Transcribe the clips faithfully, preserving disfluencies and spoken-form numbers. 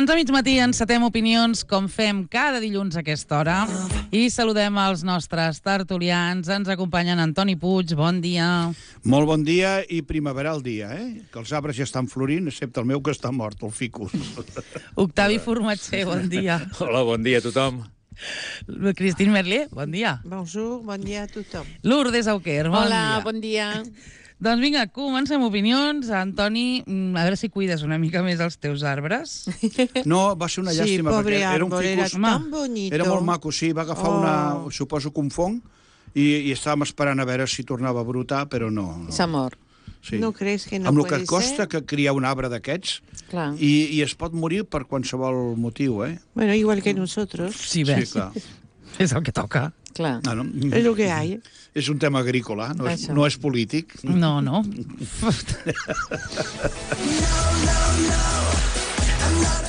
Doncs a mig matí encetem opinions com fem cada dilluns a aquesta hora i saludem els nostres tertulians. Ens acompanyen Antoni Puig, bon dia. Molt bon dia i primaveral dia, eh? Que els arbres ja estan florint, excepte el meu que està mort, el ficus. Octavi Formatger, bon dia. Hola, bon dia a tothom. Christine Merlier, bon dia. Bonjour, bon dia a tothom. Lourdes Auquer, bon Hola, dia. bon dia. Doncs vinga, comencem opinions. Antoni, a veure si cuides una mica més els teus arbres. No, va ser una Sí, llàstima, pobre perquè era un árbol, era ficus... tan bonito. Era molt maco, sí, va agafar Oh. una... Suposo que un fong, i, i estàvem esperant a veure si tornava a brotar, però no. no. S'ha mort. Sí. No creus que no Amb el que puede costa ser? que criar un arbre d'aquests, Clar. i, i es pot morir per qualsevol motiu, eh? Bueno, igual que nosotros. Sí, ves, Sí, clar. és el que toca. Clar. Ah, no? Es lo que hay. És un tema agrícola, no és, Això. no és polític. No, no.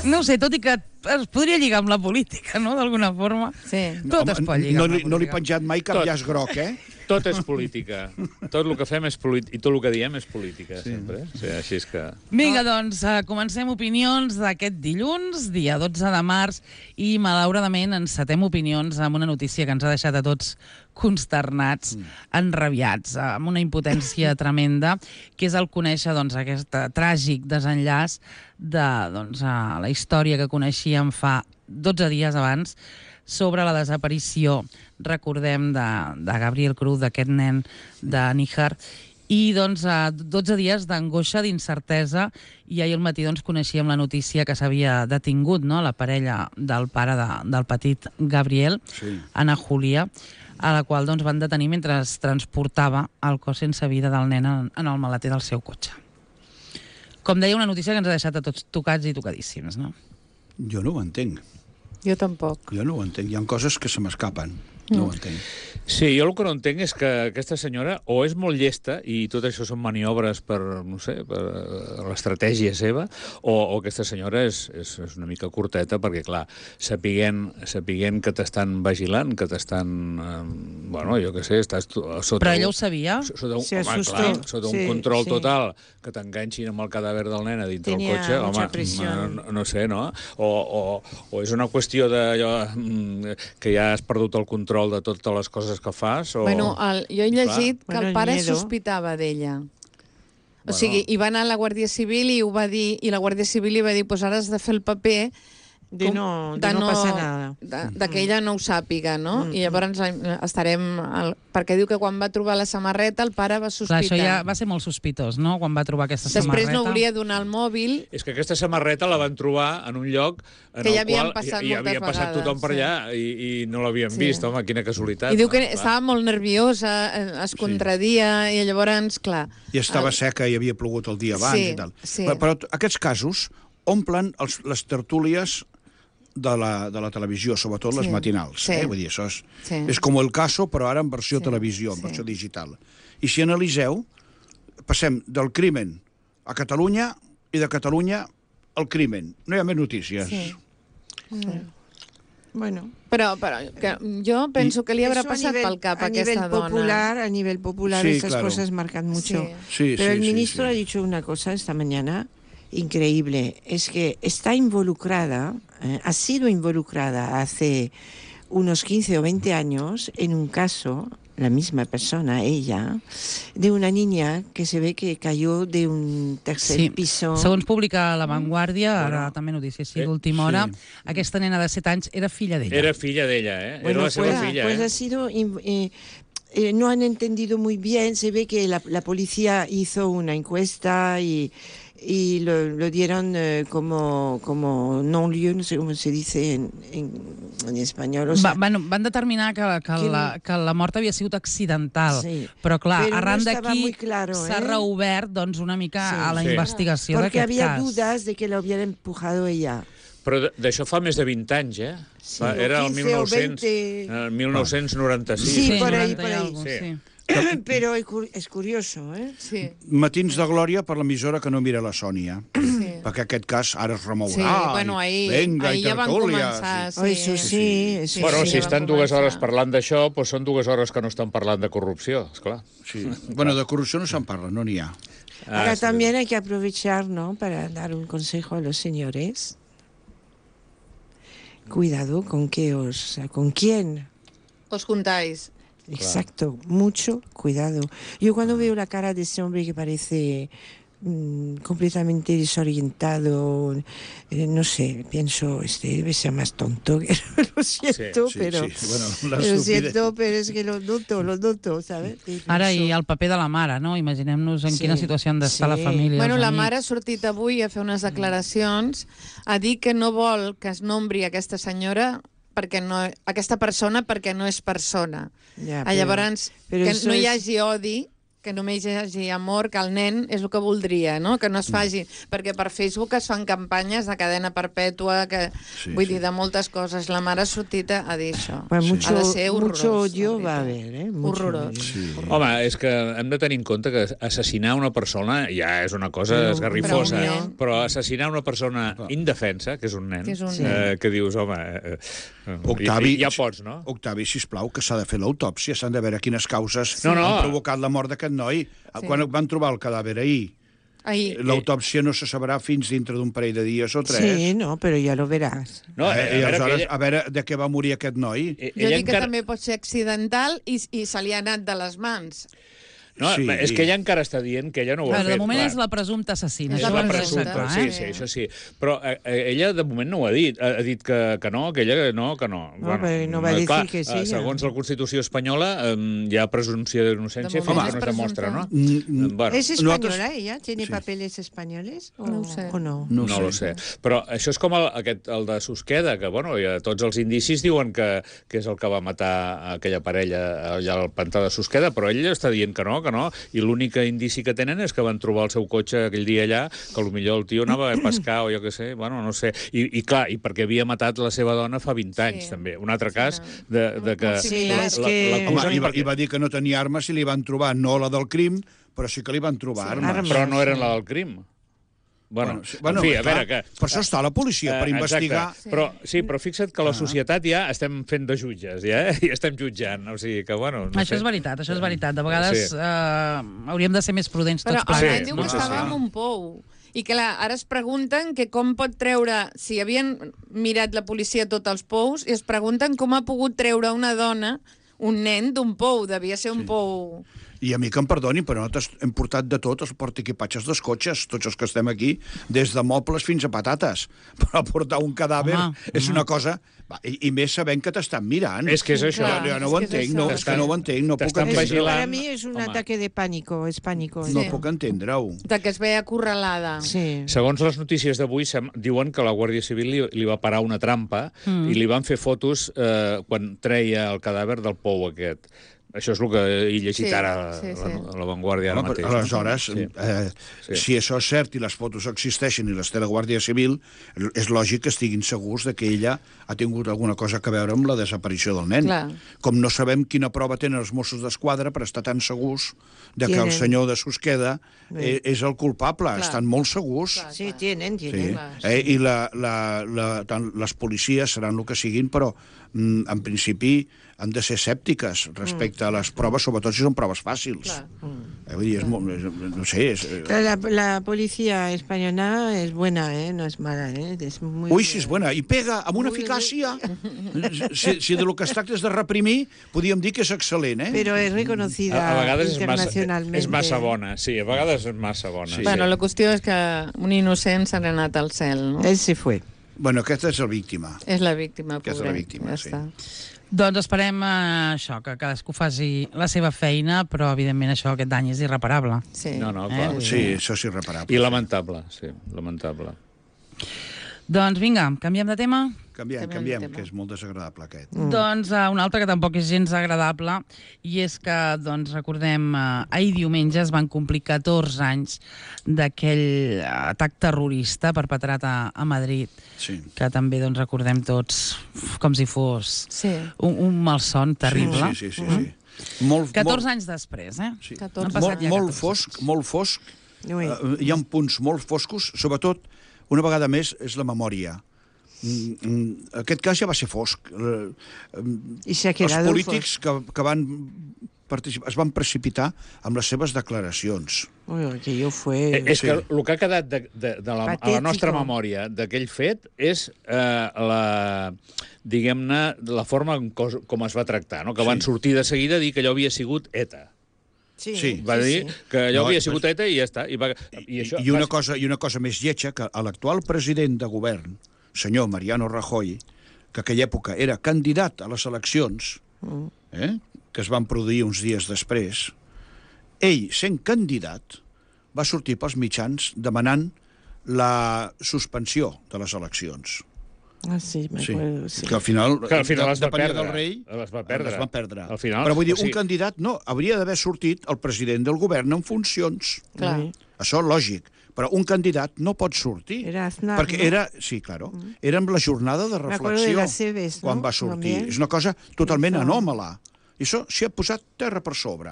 No ho sé, tot i que es podria lligar amb la política, no?, d'alguna forma. Sí. Tot es pot lligar no, amb la li, no li he política. penjat mai cap Tot. llaç groc, eh? Tot és política. Tot el que fem és política. I tot el que diem és política, sí. sempre. Sí, així és que... Vinga, doncs, eh, comencem opinions d'aquest dilluns, dia dotze de març, i malauradament encetem opinions amb una notícia que ens ha deixat a tots consternats, mm. enrabiats, amb una impotència tremenda, que és el conèixer doncs, aquest eh, tràgic desenllaç de doncs, eh, la història que coneixíem fa dotze dies abans sobre la desaparició, recordem, de, de Gabriel Cruz, d'aquest nen de Níjar, i doncs, a dotze dies d'angoixa, d'incertesa, i ahir al matí doncs, coneixíem la notícia que s'havia detingut, no?, la parella del pare de, del petit Gabriel, Sí. Ana Julia, a la qual doncs, van detenir mentre es transportava el cos sense vida del nen en, en el maleter del seu cotxe. Com deia, una notícia que ens ha deixat a tots tocats i tocadíssims, no? Jo no ho entenc. Jo tampoc. Jo no ho entenc. Hi ha coses que se m'escapen. No ho entenc. Sí, jo el que no entenc és que aquesta senyora o és molt llesta i tot això són maniobres per, no sé, per l'estratègia seva, o, o aquesta senyora és, és, és una mica curteta perquè, clar, sapiguent, sapiguent que t'estan vigilant, que t'estan, eh, bueno, jo què sé, estàs sota... Però ella ho sabia? Sota un, Se home, asustó. clar, sota un Sí, control sí. total, que t'enganxin amb el cadàver del nen a dintre Tenia el cotxe, mucha home, presión. no, no sé, no? O, o, o és una qüestió de allò, mm, que ja has perdut el control de totes les coses que fas, o... Bueno, el, jo he llegit que Bueno, el pare miedo. sospitava d'ella. O Bueno. sigui, hi va anar a la Guàrdia Civil i ho va dir, i la Guàrdia Civil li va dir, pues ara has de fer el paper De com- no, de no passa nada. De, de que ella no ho sàpiga, no? Mm, I llavors eh, estarem... Al, perquè diu que quan va trobar la samarreta el pare va Clar, sospitar. això ja va ser molt sospitós, no?, quan va trobar aquesta Després samarreta. no volia donar el mòbil. És que aquesta samarreta la van trobar en un lloc en Que ja el havien qual passat hi, hi havia moltes passat vegades, tothom per sí. allà i, i no l'havien Sí. vist. Home, quina casualitat. I diu que no? Clar. estava molt nerviosa, eh, es contradia, i llavors, clar... I estava el- seca i havia plogut el dia abans Sí, i tal. sí. Però, però aquests casos omplen els, les tertúlies de la, de la televisió, sobretot les Sí, matinals. sí. Eh? Vull dir, això és, Sí. és com el caso, però ara en versió Sí, televisió, en sí. versió digital. I si analiseu, passem del crimen a Catalunya i de Catalunya al crimen. No hi ha més notícies. Sí. Bueno. Però, però que jo penso que li haurà Eso a passat nivel- pel cap a a nivel aquesta dona. popular, a nivel popular, Sí, esas claro. cosas marcan mucho. Sí, Pero sí, el sí, ministro sí. ha dicho una cosa esta mañana increíble, es que está involucrada, eh, ha sido involucrada hace unos quince o veinte años en un caso, la misma persona, ella, de una niña que se ve que cayó de un tercer Sí. piso. Segons publica La Vanguardia, ara Bueno. també notícia així Eh, d'última hora, sí. aquesta nena de set anys era filla d'ella. Era filla d'ella, eh? Bueno, Era la seva pues, filla, pues eh? ha sido... in- eh, eh, no han entendido muy bien, se ve que la, la policía hizo una encuesta y, y lo, lo dieron eh, como, como non-lieu, no sé cómo se dice en, en, en español. O sea, Va, van, van determinar que, que, Que la, que la mort havia sigut accidental, Sí. però clar, Però no arran estava d'aquí muy claro, s'ha eh? reobert doncs, una mica Sí. a la Sí. investigació porque d'aquest había cas. dudas de que lo hubiera empujado ella. Però d- d'això fa més de vint anys, eh? Sí, Fa- o Era el quince o mil nou-cents, veinte. eh, mil nou-cents noranta-sis. Sí, por ahí, noranta por i ahí. algo, Sí. sí. Pero es cu- es curioso, ¿eh? Sí. Matins de glòria per l'emissora que no mira la Sònia. Sí. Perquè aquest cas ara es remourà. Sí, bueno, ahir, Venga, ahir i ja van tertúlia, començar. sí. Oh, eso sí, eso Bueno, sí, si ja estan van dues començar. hores parlant d'això, doncs són dues hores que no estan parlant de corrupció, esclar. Sí. Bueno, de corrupció no se'n parla, no n'hi ha. Ah, Ahora sí. también hay que aprovechar, ¿no?, para dar un consejo a los señores. cuidado con qué os, con quién. Os juntáis. Exacto, mucho cuidado. Yo cuando veo la cara de ese hombre que parece mmm, completamente desorientado, eh, no sé, pienso, este debe ser más tonto, que lo siento, Sí, sí, pero sí. Bueno, la lo estupidez. siento, pero es que lo noto, lo noto, ¿sabes? Y Ara, pienso- i el paper de la mare, no? Imaginem-nos en Sí, quina situació han d'estar la sí. família, Bueno, els la amics. mare ha sortit avui a fer unes declaracions a dir que no vol que es nombri aquesta senyora perquè no, aquesta persona perquè no és persona. Ya, Ah, pero- Llavors, pero que eso no hi es- hagi odi, que només hi hagi amor, que el nen és el que voldria, no? Que no es faci... Perquè per Facebook es fan campanyes de cadena perpètua, que, Sí, vull sí. dir, de moltes coses. La mare ha sortit a dir això. Pues Sí. mucho, Ha de ser horrorós, mucho la odio veritat. va a haber, ¿eh? Mucho Horrorós. odio. Sí. Home, és que hem de tenir en compte que assassinar una persona ja és una cosa Però- esgarrifosa, però un nen- però assassinar una persona indefensa, que és un nen, Que és un eh, nen. que dius, home, eh, eh, Octavi, ja, ja pots, no? Octavi, sisplau, que s'ha de fer l'autòpsia, s'han de veure quines causes No, no. han provocat la mort d'aquest noi. Sí. Quan van trobar el cadàver ahir, Ahir. l'autòpsia no se sabrà fins dintre d'un parell de dies o tres. Sí, no, pero ya lo verás. No, eh, eh, I a veure, que aleshores, ella, a veure de què va morir aquest noi. eh, Jo ella dic que encara... també pot ser accidental i, i se li ha anat de les mans. No, Sí. és que ella encara està dient que ella no ho ha Clar, fet. de moment clar. és la presumpta assassina. És És això la ho hem de presumpta, deixar clar, sí, eh? sí, això sí. Però eh, eh, ella de moment no ho ha dit. Ha, ha dit que, que no, que ella no, que no. No, però no va eh, dir clar, que sí, eh, ja. Segons la Constitució espanyola, eh, hi ha presumpció d'innocència De fins moment que no és es demostra, no? presumpta. Mm, Eh, Bueno, ¿Es española nosaltres- ella? ¿Tiene Sí. papeles españoles o No ho sé. o no? No no, ho no ho sé. Però això és com el, aquest, el de Susqueda, que bueno, ja tots els indicis diuen que, que és el que va matar aquella parella allà al pantà de Susqueda, però ell està dient que no, que no, i l'únic indici que tenen és que van trobar el seu cotxe aquell dia allà, que potser el tio anava a pescar o jo què sé, bueno, no sé. I, i clar, i perquè havia matat la seva dona fa vint anys, Sí. també. Un altre Sí, cas no. de, de que... Sí, la- és la- que- l'acusen Home, i, va, perquè- I va dir que no tenia armes i li van trobar, no la del crim, però sí que li van trobar Sí, armes. armes. Però no eren la del crim. Bueno, sí, en fi, a clar, veure, que... Per això està la policia, per Eh, investigar. Exacte. Però, sí, però fixa't que la societat ja estem fent de jutges, ja, eh? I estem jutjant. O sigui que, bueno... No Això sé. és veritat, això és veritat. De vegades Sí. eh, hauríem de ser més prudents Però tots el Sí, nen plegats. diu no? que Sí, estava sí. en un pou. I clar, ara es pregunten que com pot treure... Si havien mirat la policia tots els pous, i es pregunten com ha pogut treure una dona, un nen, d'un pou. Devia ser un sí. pou... I a mi que em perdoni, però nosaltres hem portat de tot els portaequipatges dels cotxes, tots els que estem aquí, des de mobles fins a patates. Però portar un cadàver Home, és home. una cosa... Va, i, I més sabent que t'estan mirant. És que és això. Clar. Jo no ho és que és entenc, no, això. és que no ho entenc, no puc T'estan entendre. vigilant. Para mí es un Home. ataque de pánico, es pánico. No Sí. puc entendre-ho. De que es veia acorralada. Sí. Segons les notícies d'avui, sem- diuen que la Guàrdia Civil li, li va parar una trampa mm. i li van fer fotos eh, quan treia el cadàver del pou aquest. Això és el que he llegit Sí, ara sí, sí. a la Vanguardia ara Home, mateix. però aleshores, Sí. eh, Sí. si això és cert i les fotos existeixen i les té la Guàrdia Civil, és lògic que estiguin segurs de que ella ha tingut alguna cosa a veure amb la desaparició del nen. Clar. Com no sabem quina prova tenen els Mossos d'Esquadra per estar tan segurs de que el Tienen. senyor de Susqueda eh, és el culpable. Clar. Estan molt segurs. Clar. Sí, tienen, Sí. tienen. Clar, Eh, I la, la, la, tant les policies seran el que siguin, però mm, en principi han de ser escèptiques respecte a les proves, sobretot si són proves fàcils. Clar. Eh, vull dir, és molt, és, no sé... És, eh, La, la policía española es buena, ¿eh? No es mala, ¿eh? Es muy Ui, si és bona, i pega amb una eficàcia. Si, si de lo que es tracta és de reprimir, podríem dir que és excel·lent, eh? Pero es reconocida A, a vegades és massa, internacionalmente. és massa bona, sí, a vegades és massa bona. Sí. Sí. Bueno, la qüestió és que un innocent s'ha anat al cel, no? Él se fue. Bueno, aquesta és la víctima. És la víctima, Aquesta és la pobret. víctima, ja sí. està. Doncs esperem eh, això, que cadascú faci la seva feina, però evidentment això, aquest dany és irreparable. Sí. No, no, clar. Eh? Sí, això és irreparable. I lamentable, sí, lamentable. Doncs vinga, canviem de tema? Canviem, Canviem de canviem, tema. que és molt desagradable aquest. Mm. Doncs uh, un altre que tampoc és gens agradable, i és que, doncs, recordem, uh, ahir diumenge es van complir catorze anys d'aquell uh, atac terrorista perpetrat a, a Madrid, Sí. que també, doncs, recordem tots uf, com si fos Sí. un, un malson terrible. Sí, sí, sí. sí, sí. Molt, catorze molt, anys després, eh? sí. catorze. Han passat molt, ja molt catorze fosc, molt fosc. Ui. Uh, hi ha punts molt foscos, sobretot, una vegada més, és la memòria. Mm, mm, aquest cas ja va ser fosc. Uh, Y se ha els quedado... polítics que, que van participar, es van precipitar amb les seves declaracions. Ui, aquello fue... Eh, És Sí. que el que ha quedat de, de, de la, a la Patético. nostra memòria d'aquell fet és eh, la, diguem-ne, la forma en cos, com es va tractar, no? Que van Sí. sortir de seguida a dir que allò havia sigut ETA. Sí, Sí. Va dir que allò No, havia i sigut ETA i ja està. I, va, I, això, i, una va- cosa, I una cosa més lletja, que l'actual president de govern, senyor Mariano Rajoy, que aquella època era candidat a les eleccions, eh, que es van produir uns dies després, ell, sent candidat, va sortir pels mitjans demanant la suspensió de les eleccions. Ah, sí, me Sí, acuerdo, sí. que al final, Que al final de- les va depenia perdre. del rei, Les va perdre. les van perdre. Al final, Però vull dir, o sigui- un candidat no, hauria d'haver sortit el president del govern en funcions. Clar. Sí. Això és lògic, però un candidat no pot sortir. Era Aznar, perquè no? era, sí, claro, era amb la jornada de Me acuerdo reflexió de las Cebes, ¿no? quan va sortir. También. És una cosa totalment Això. anòmala. I això s'hi ha posat terra per sobre.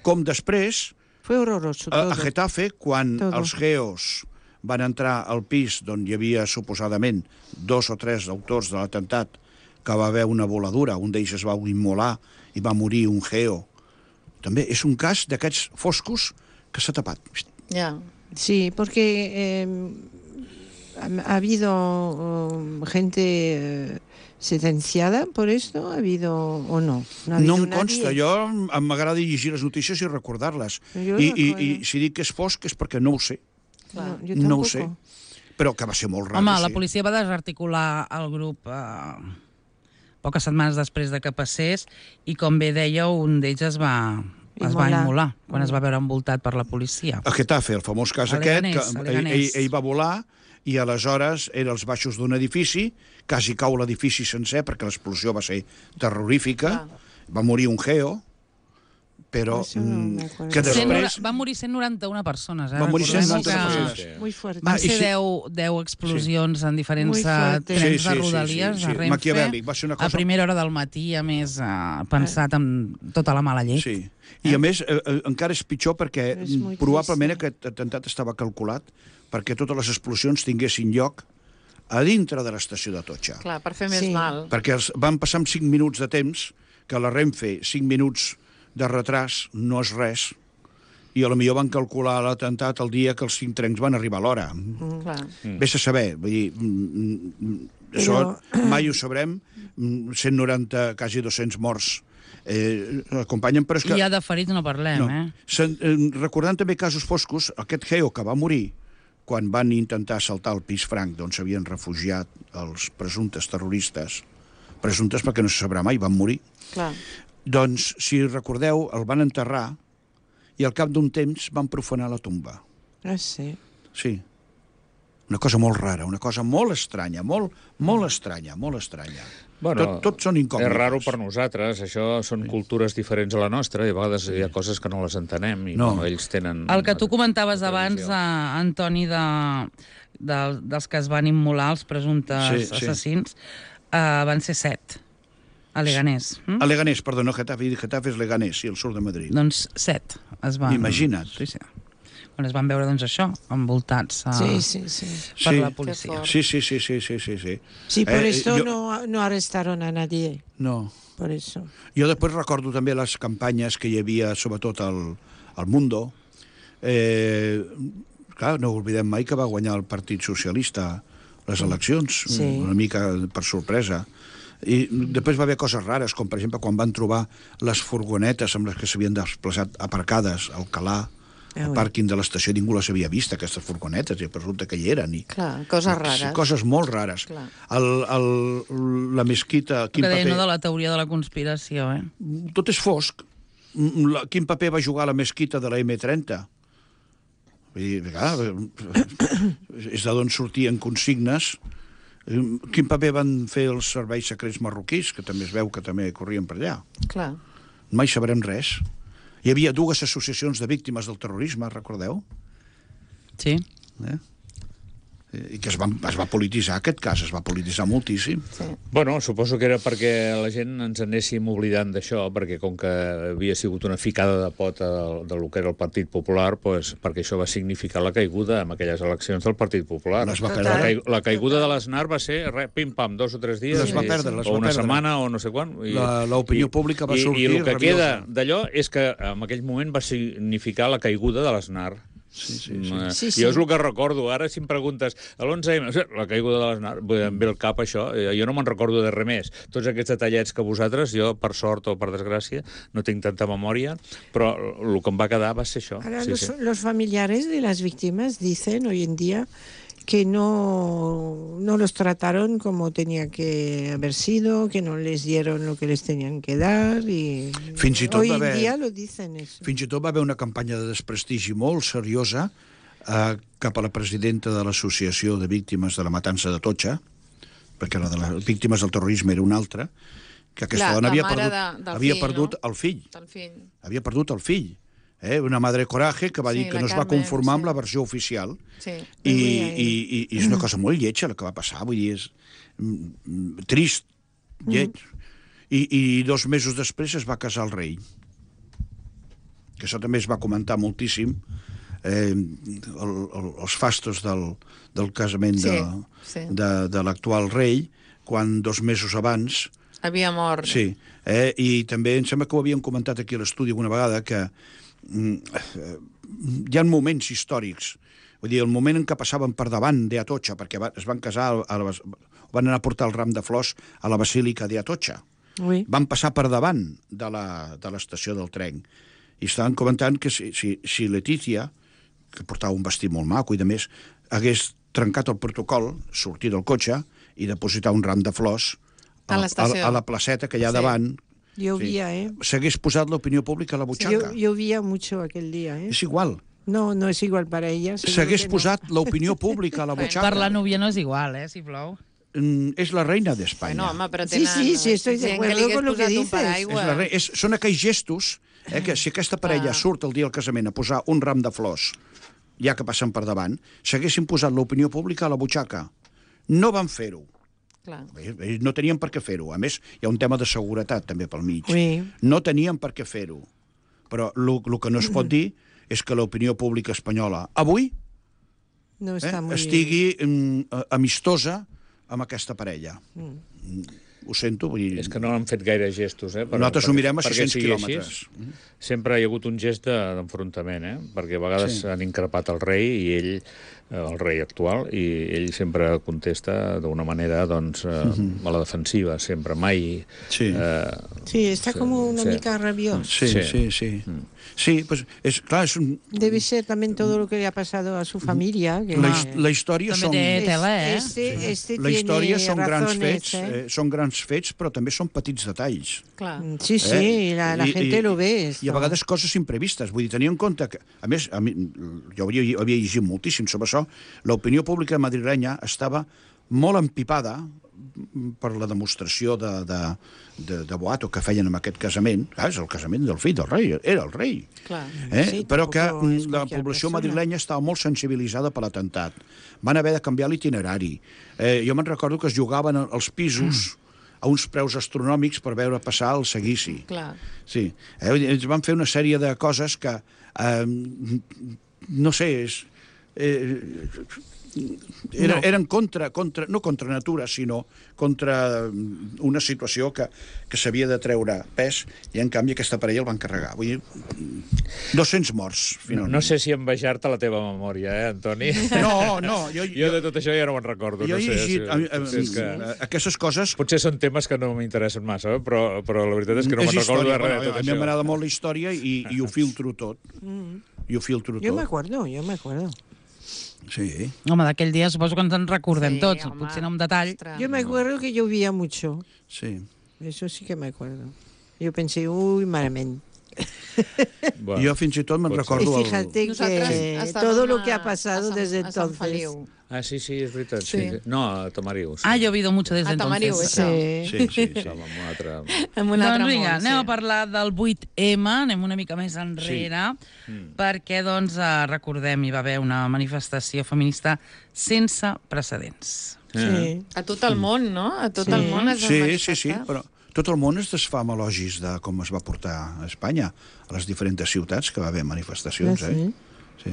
Com després, Fue horroroso a, todo. a Getafe, quan Todo. els geos van entrar al pis d'on hi havia suposadament dos o tres autors de l'atemptat, que va haver una voladura, un d'ells es va immolar i va morir un geo. També és un cas d'aquests foscos que s'ha tapat. Ja. Sí, porque eh, ha, ha habido um, gente eh, sentenciada por esto, ¿ha habido o no? No, ha No habido em consta, nadie. jo em- m'agrada llegir les notícies i recordar-les. Jo I, i, recordo. I si dic que és fosc és perquè no ho sé, No, yo no ho tampoco. sé. Però que va ser molt raro, Home, sí. la policia va desarticular el grup eh, poques setmanes després de que passés i, com bé dèieu, un d'ells es va, es va Immolar. immolar quan es va veure envoltat per la policia. A Getafe, el famós cas A aquest, Leganés, que a ell, Leganés. ell, ell va volar i aleshores era als baixos d'un edifici, quasi cau l'edifici sencer perquè l'explosió va ser terrorífica, va morir un geo, però Això no mm, m'acuerdo. que Cent nora- després... Van morir cent noranta-una persones. Eh? Va morir cent Recordem-ho noranta-una que persones. Muy fuerte. Va, Van i ser si- deu, deu explosions en diferents Muy eh, fuerte. trens Sí, sí, de sí, Rodalies, sí, sí. de Renfe, Maquiavèlic, va ser una cosa- a primera hora del matí, a més, eh, pensat amb tota la mala llet. Sí. I a més, eh, eh, encara és pitjor perquè És molt probablement trist, aquest atemptat estava calculat perquè totes les explosions tinguessin lloc a dintre de l'estació de Totxa. Clar, per fer més Sí. mal. Perquè els, van passar amb cinc minuts de temps, que a la Renfe cinc minuts de retras no és res, i a lo millor van calcular l'atemptat el dia que els cinc trens van arribar a l'hora. Mm. Clar. Vés a saber, vull dir, mm, mm, això mai ho sabrem, mm, cent noranta, quasi dos-cents morts eh, acompanyen, però és que... I ja de ferits no parlem, No. eh? Sen, eh, recordant també casos foscos, aquest geo que va morir quan van intentar assaltar el pis franc d'on s'havien refugiat els presumptes terroristes, presumptes perquè no se sabrà mai, van morir, Clar. doncs, si recordeu, el van enterrar i al cap d'un temps van profanar la tomba. Ah, sí. Sí. Una cosa molt rara, una cosa molt estranya, molt, molt estranya, molt estranya. Bueno, tot, tot són incògnites. És raro per nosaltres, això són sí. cultures diferents a la nostra, i a vegades hi ha coses que no les entenem, i No. bueno, ells tenen... El que tu comentaves la abans, tradició. eh, Antoni, de, de, dels que es van immolar, els presumptes Sí, sí. assassins, eh, van ser set, a Leganés. Hm? A Leganés, perdó, no Getafe, Getafe és Leganés, sí, al sud de Madrid. Doncs set es van... Imagina't. Sí, sí. Quan es van veure, doncs, això, envoltats uh, Sí, sí, sí. per Sí. la policia. Sí, sí, sí, sí, sí, sí, sí. Sí, por Eh, esto yo- no, no arrestaron a nadie. No. Por eso. Jo després recordo també les campanyes que hi havia, sobretot al, al Mundo. Eh, clar, no oblidem mai que va guanyar el Partit Socialista les eleccions, Sí. una mica per sorpresa. I després va haver coses rares, com per exemple quan van trobar les furgonetes amb les que s'havien desplaçat aparcades al Calà, Ah, al ui. pàrquing de l'estació, ningú les havia vist, aquestes furgonetes, i resulta que hi eren. I, Clar, coses rares. Coses molt rares. Clar. El, el, la mesquita... El quin que deia, paper- no, de la teoria de la conspiració, eh? tot és fosc. Mm, la- Quin paper va jugar la mesquita de la eme trenta? Vull dir, clar, és d'on sortien consignes. Eh, Quin paper van fer els serveis secrets marroquís, que també es veu que també corrien per allà? Clar. Mai sabrem res. Hi havia dues associacions de víctimes del terrorisme, recordeu? Sí. Eh? i que es va, es va polititzar aquest cas, es va polititzar moltíssim. Sí. Bueno, suposo que era perquè la gent ens anéssim oblidant d'això, perquè com que havia sigut una ficada de pota del, del que era el Partit Popular, pues, perquè això va significar la caiguda en aquelles eleccions del Partit Popular. Les va la, perdre. cai, la caiguda de l'Aznar va ser re, pim-pam, dos o tres dies, Les va i, perdre, les o va una perdre. setmana o no sé quan. I, L'opinió pública va i, sortir I el que rabiosa. queda d'allò és que en aquell moment va significar la caiguda de l'Aznar. Sí, sí, sí. Mm, Sí, sí. Jo és el que recordo. Ara, si em preguntes, a l'onze eme, la caiguda de l'Aznar, em ve al cap això, jo no me'n recordo de res més. Tots aquests detallets que vosaltres, jo, per sort o per desgràcia, no tinc tanta memòria, però el que em va quedar va ser això. Ahora Sí, los, sí. los familiares de las víctimas dicen hoy en día que no, no los trataron como tenía que haber sido, que no les dieron lo que les tenían que dar y Fins i tot hoy va en haver- día lo dicen eso. Fins i tot va haver una campanya de desprestigi molt seriosa eh, cap a la presidenta de l'Associació de Víctimes de la Matança de Totxa, perquè la de les víctimes del terrorisme era una altra, que aquesta La- dona la havia mare perdut, de- del havia fill, perdut no? el fill. El fill. Havia perdut el fill. Eh? Una madre coraje que va Sí, dir que la no es va Carmen, conformar amb sí. la versió oficial. Sí. I, Muy i, bien. i, i és una cosa molt lletja el que va passar, vull dir, és mm, mm, trist, lleig. I, I dos mesos després es va casar el rei. Que això també es va comentar moltíssim, eh, el, el, els fastos del, del casament de, Sí, sí. de, de l'actual rei, quan dos mesos abans... Havia mort. Sí, eh, i també em sembla que ho havíem comentat aquí a l'estudi una vegada, que mm, eh, hi ha moments històrics. Vull dir, el moment en què passaven per davant d'Atocha, perquè va, es van casar, a la, van anar a portar el ram de flors a la basílica d'Atocha. Oui. Van passar per davant de la- de l'estació del tren. I estaven comentant que si, si, si Letícia, que portava un vestit molt maco i de més, hagués trencat el protocol, sortir del cotxe i depositar un ram de flors A l'estació. a, a la placeta que hi ha Sí. davant, Llovía, ¿eh? s'hagués posat l'opinió pública a la butxaca. Llo- Llovía mucho aquel día, ¿eh? És igual. No, no es igual para ella. seguro S'hagués que no. posat l'opinió pública a la butxaca. Per la núvia no és igual, eh, si plou. Mm, és la reina d'Espanya. Bueno, home, però Sí, tenen... sí, sí, estoy de gent acuerdo que li hagués con lo que posat un dices. paraigua. És la reina. És, són aquells gestos eh, que si aquesta parella Ah. surt el dia del casament a posar un ram de flors, ja que passen per davant, s'haguessin posat l'opinió pública a la butxaca. No van fer-ho. Clar. Ells no tenien per què fer-ho. A més, hi ha un tema de seguretat també pel mig. Oui. No tenien per què fer-ho. Però el que no es pot dir és que l'opinió pública espanyola avui No eh, está muy... estigui mm, amistosa amb aquesta parella. Mm. Ho sento, vull dir... És que no han fet gaire gestos, eh? Per, Nosaltres ho perquè- mirem a perquè sis-cents sigui quilòmetres. així. Sempre hi ha hagut un gest de- d'enfrontament, eh? Perquè a vegades Sí. han increpat el rei i ell, eh, el rei actual, i ell sempre contesta d'una manera, doncs, eh, a la defensiva, sempre, mai... Sí. Eh, Sí, está Sí, como una sí. mica rabioso. Sí, Sí. sí, sí. Sí, pues, és, clar, és un, Debe ser también todo lo que le ha pasado a su familia. Que la, his- la història També són... té Es- tela, eh? Este, este La història tiene són grans razones, fets, ¿eh? eh, són grans fets, però també són petits detalls. Clar. Sí, sí, Eh? la, la I- gente i- lo ve. I esto. a vegades coses imprevistes. Vull dir, tenir en compte que, a més, a mi, jo havia, havia llegit moltíssim sobre això, l'opinió pública madrilenya estava molt empipada per la demostració de, de, de, de boato que feien amb aquest casament. Ah, és el casament del fill del rei, era el rei. Clar. Eh? Sí, Però que tampoco es mm, la cualquier població persona. madrilenya estava molt sensibilitzada per l'atemptat. Van haver de canviar l'itinerari. Eh, jo me'n recordo que es jugaven els pisos a uns preus astronòmics per veure passar el seguici. Clar. Sí. Eh? vull dir, Ens van fer una sèrie de coses que, eh, no sé, és... Eh, era, No. eren contra, contra, no contra natura, sinó contra una situació que, que s'havia de treure pes, i en canvi aquesta parella el van carregar. Vull dir, dos-cents morts, no, finalment. no sé si envejar-te la teva memòria, eh, Antoni? No, no, jo, Jo de tot això ja no me'n recordo. jo no he sé, llegit... si- a, a, potser és que... aquestes coses... Potser són temes que no m'interessen massa, eh? però, però la veritat és que no és me'n recordo història, de res bueno, de tot a mi això. m'agrada molt la història i, i ho filtro tot. I ho filtro Yo me tot. acuerdo, yo me acuerdo. Sí. Home, d'aquell dia suposo que ens en recordem Sí, tots, home. potser no en detall. Ostres. Yo me acuerdo que llovía mucho. Sí. Eso sí que me acuerdo. Yo pensé, uy, malamente. Bueno, Jo fins i tot me'n pot ser. recordo... Y El... fíjate Nosaltres que estàvem todo lo a- que ha a pasado Sant- desde a Sant entonces. Feliu. Ah, sí, sí, és veritat. Sí. Sí. No, a Tamariu. Sí. Ah, yo he oído mucho desde A Tamariu, entonces. això. Sí. Sí, sí, sí. Estava en un altre... En un altre Doncs vinga, món, anem sí. a parlar del vuit eme, anem una mica més enrere, Sí. Mm. perquè, doncs, eh, recordem, hi va haver una manifestació feminista sense precedents. Sí. A tot el món, no? A tot Sí. el món es va Sí, sí, manifestar. sí, però tot el món es desfà amb elogis de com es va portar a Espanya, a les diferents ciutats que va haver manifestacions, Ah, eh? sí? Sí.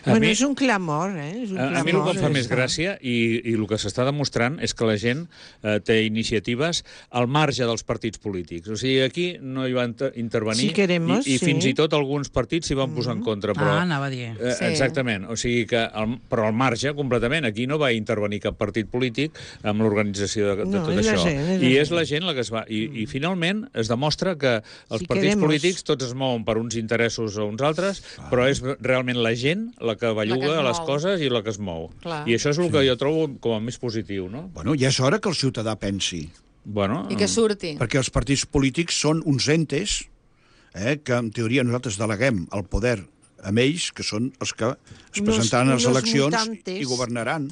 A Bueno, mi- és un clamor, eh? És un A, a mi el clamor, que em fa més això. gràcia i, i el que s'està demostrant és que la gent eh, té iniciatives al marge dels partits polítics. O sigui, aquí no hi van inter- intervenir Si queremos, i, i sí. fins i tot alguns partits s'hi van posar en contra. Però, Ah, anava a dir. Eh, Sí. Exactament. O sigui que, al, però al marge, completament, aquí no va intervenir cap partit polític amb l'organització de, de No, tot és la això. gent, és la I gent. és la gent la que es va... I, i finalment es demostra que els Si partits queremos. polítics tots es mouen per uns interessos o uns altres, però és realment la gent la que belluga es les mou. coses i la que es mou. Clar. I això és el que jo trobo com a més positiu, no? Bueno, ja és hora que el ciutadà pensi, Bueno, I que surti. perquè els partits polítics són uns entes eh, que, en teoria, nosaltres deleguem el poder amb ells, que són els que es Unos- presentaran a les unos eleccions mutantes. i governaran.